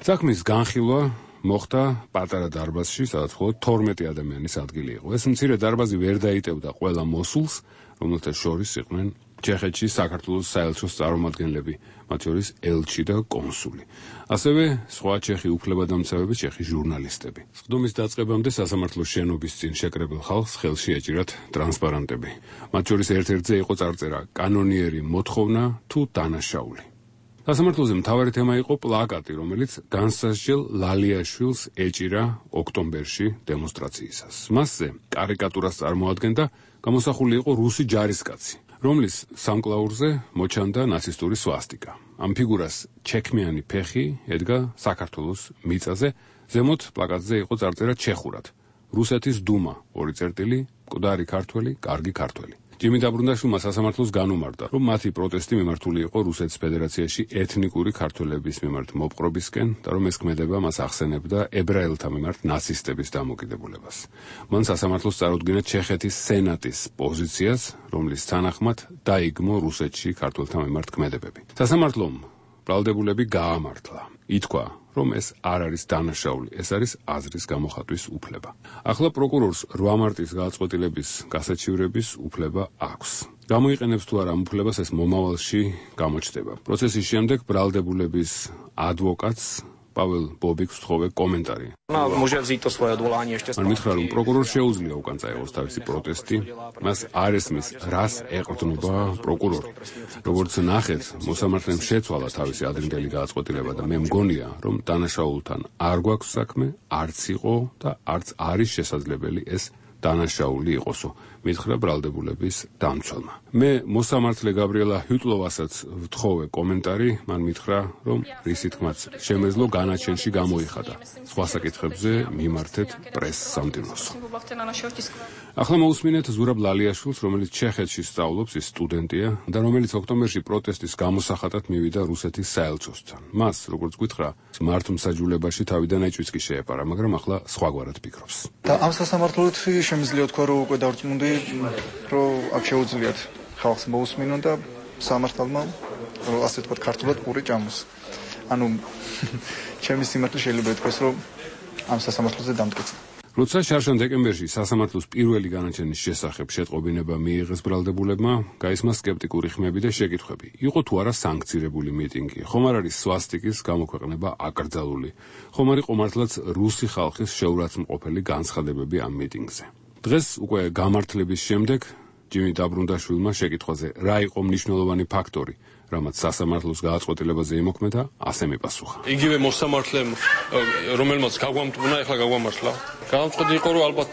საქმის განხილვა მოხდა პატარა დარბაზში, სადაც მხოლოდ თორმეტი ადამიანის ადგილი იყო. ეს მცირე დარბაზი ვერ დაიტევდა ყველა მოსულს, რომელთა შორის იყვნენ ჩეხეთში საქართველოს საელჩოს წარმომადგენლები, მათ შორის ელჩი და კონსული. ასევე სხვა ჩეხი უფლებადამცავები, ჩეხი ჟურნალისტები. სხდომის დაწყებამდე სასამართლოს შენობის წინ შეკრებილ ხალხს ხელში ეჭირათ ტრანსპარანტები. მათ შორის ერთ-ერთზე იყო წარწერა კანონიერი მოთხოვნა თუ დანაშაული. სასამართლოზე მთავარი თემა იყო პლაკატი, რომელიც განსაზღვრელ ლალიაშვილს ეჭირა ოქტომბერში დემონსტრაციისას. მასზე კარიკატურას წარმოადგენდა გამოსახული იყო რუსი ჯარისკაცი, რომლის სამკლაურზე მოჩანდა ნაცისტური სვასტიკა. ამ ფიგურას ჩექმიანი ფეხი ედგა საქართველოს მიწაზე, ზემოთ პლაკატზე იყო წარწერა ჩეხურად. რუსეთის დუმა, ორი წერტილი, მკვდარი ქართველი, კარგი ქართველი. ჯიმი დაბრუნდაშვილმა სასამართლოს განუმარტა, რომ მათი პროტესტი მიმართული იყო რუსეთის ფედერაციაში ეთნიკური ქართველების მიმართ მოპყრობისკენ და რომ ეს ქმედება მას ახსენებდა ებრაელთა მიმართ ნაცისტების დამოკიდებულებას. მან სასამართლოს წარუდგინა ჩეხეთის სენატის პოზიციას, რომლის თანახმად დაიგმო რუსეთში ქართველთა მიმართ ქმედებები. სასამართლომ ბრალდებულები გაამართლა. ითქვა, რომ ეს არ არის დანაშაული, ეს არის აზრის გამოხატვის უფლება. ახლა პროკურორს რვა მარტის გადაწყვეტილების გასაჩივრების უფლება აქვს. გამოიყენებს თუ არა ამ უფლებას, ეს მომავალში გამოჩნდება. პროცესის შემდეგ ბრალდებულების ადვოკატს პაվել ბობიკს ვთხოვე კომენტარი. მან მითხრა, რომ პროკურორს შეუძლია უკან წაეღოს თავისი პროტესტი, მას არ ესმის, რას ეყრდნობა პროკურორი. როგორც ნახეთ, მოსამართლემ შეცვალა თავისი ადრინდელი გადაწყვეტილება და მე მგონია, რომ დანაშაულთან არ გვაქვს საქმე, არც იყო და არც არის შესაძლებელი ეს დანაშაული იყოსო, მითხრა ბრალდებულების დამცველმა. მე მოსამართლე გაბრიელა ჰიტლოვასაც ვთხოვე კომენტარი, მან მითხრა, რომ რისი თქმაც შემეძლო განაჩენში გამოიხადა. სხვა საკითხებზე მიმართეთ პრესს სამდივნოს. ახლა მოусმინეთ ზურაბ ლალიაშვილს, რომელიც ჩეხეთში სწავლობს, ის სტუდენტია და რომელიც ოქტომბერში პროტესტის გამოსახატად მივიდა რუსეთის საელჩოსთან. მას, როგორც გითხრა, მართლმსაჯულებაში თავიდან ეჭვიც კი შეეპარა, მაგრამ ახლა სხვაგვარად ფიქრობს. და ამ სასამართლოდ შემიძლია თქვა, რომ უკვე დარწმუნდი, რომ აქ შეუძლიათ ხალხს მოусმინონ და სამართალმა, რომ ასე თქვა, ქართულად პური ჭამოს. ანუ ჩემი სიმართლე შეიძლება ითქვას, რომ ამ სასამართლოზე დამტკიცა. როცა შარშან დეკემბერში სასამართლოს პირველი განაჩენის შესახებ შეტყობინება მიიღეს ბრალდებულებმა, გაისმა სკეპტიკური ხმები და შეკითხვები. იყო თუ არა სანქცირებული მიტინგი, ხომ არ არის სვასტიკის გამოქვეყნება აკრძალული, ხომ არ იყო მართლაც რუსი ხალხის შეურაცხმყოფელი განცხადებები ამ მიტინგზე. დღეს უკვე გამართლების შემდეგ ჯიმი დაბრუნდაშვილმა შეკითხვაზე, რა იყო მნიშვნელოვანი ფაქტორი, რამაც სასამართლოს გააწყვეტილებაზე იმოქმედა, ასე მიპასუხა. იგივე მოსამართლემ, რომელმაც გაგვამტყუნა, ეხლა გაგვამართლა. გადამწყვეტი იყო, რომ ალბათ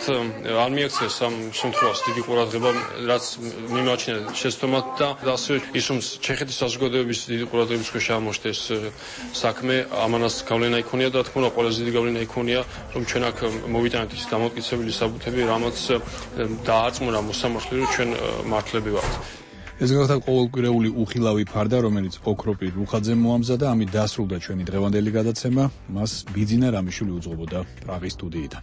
არ მიაქციეს ამ შემთხვევას დიდი ყურადღება, რაც მიმაჩნია შეცდომად და ასევე ის, რომ ჩეხეთის საზოგადოების დიდი ყურადღების ქვეშ აღმოჩნდეს საქმე, ამანაც გავლენა იქონია და თქმა უნდა, ყველაზე დიდი გავლენა იქონია, რომ ჩვენ აქ მოვიტანეთ ის დამოუკიდებელი საბუთები, რამაც დაარწმუნა მოსამართლე, რომ ჩვენ მართლები ვართ. ეს გახდა ყოველკვირეული უხილავი ფარდა, რომელიც ოქროპირ რუხაძემ მოამზადა, ამით დასრულდა ჩვენი დღევანდელი გადაცემა. მას ბიძინა რამიშვილი უძღვებოდა პრაღის სტუდიიდან.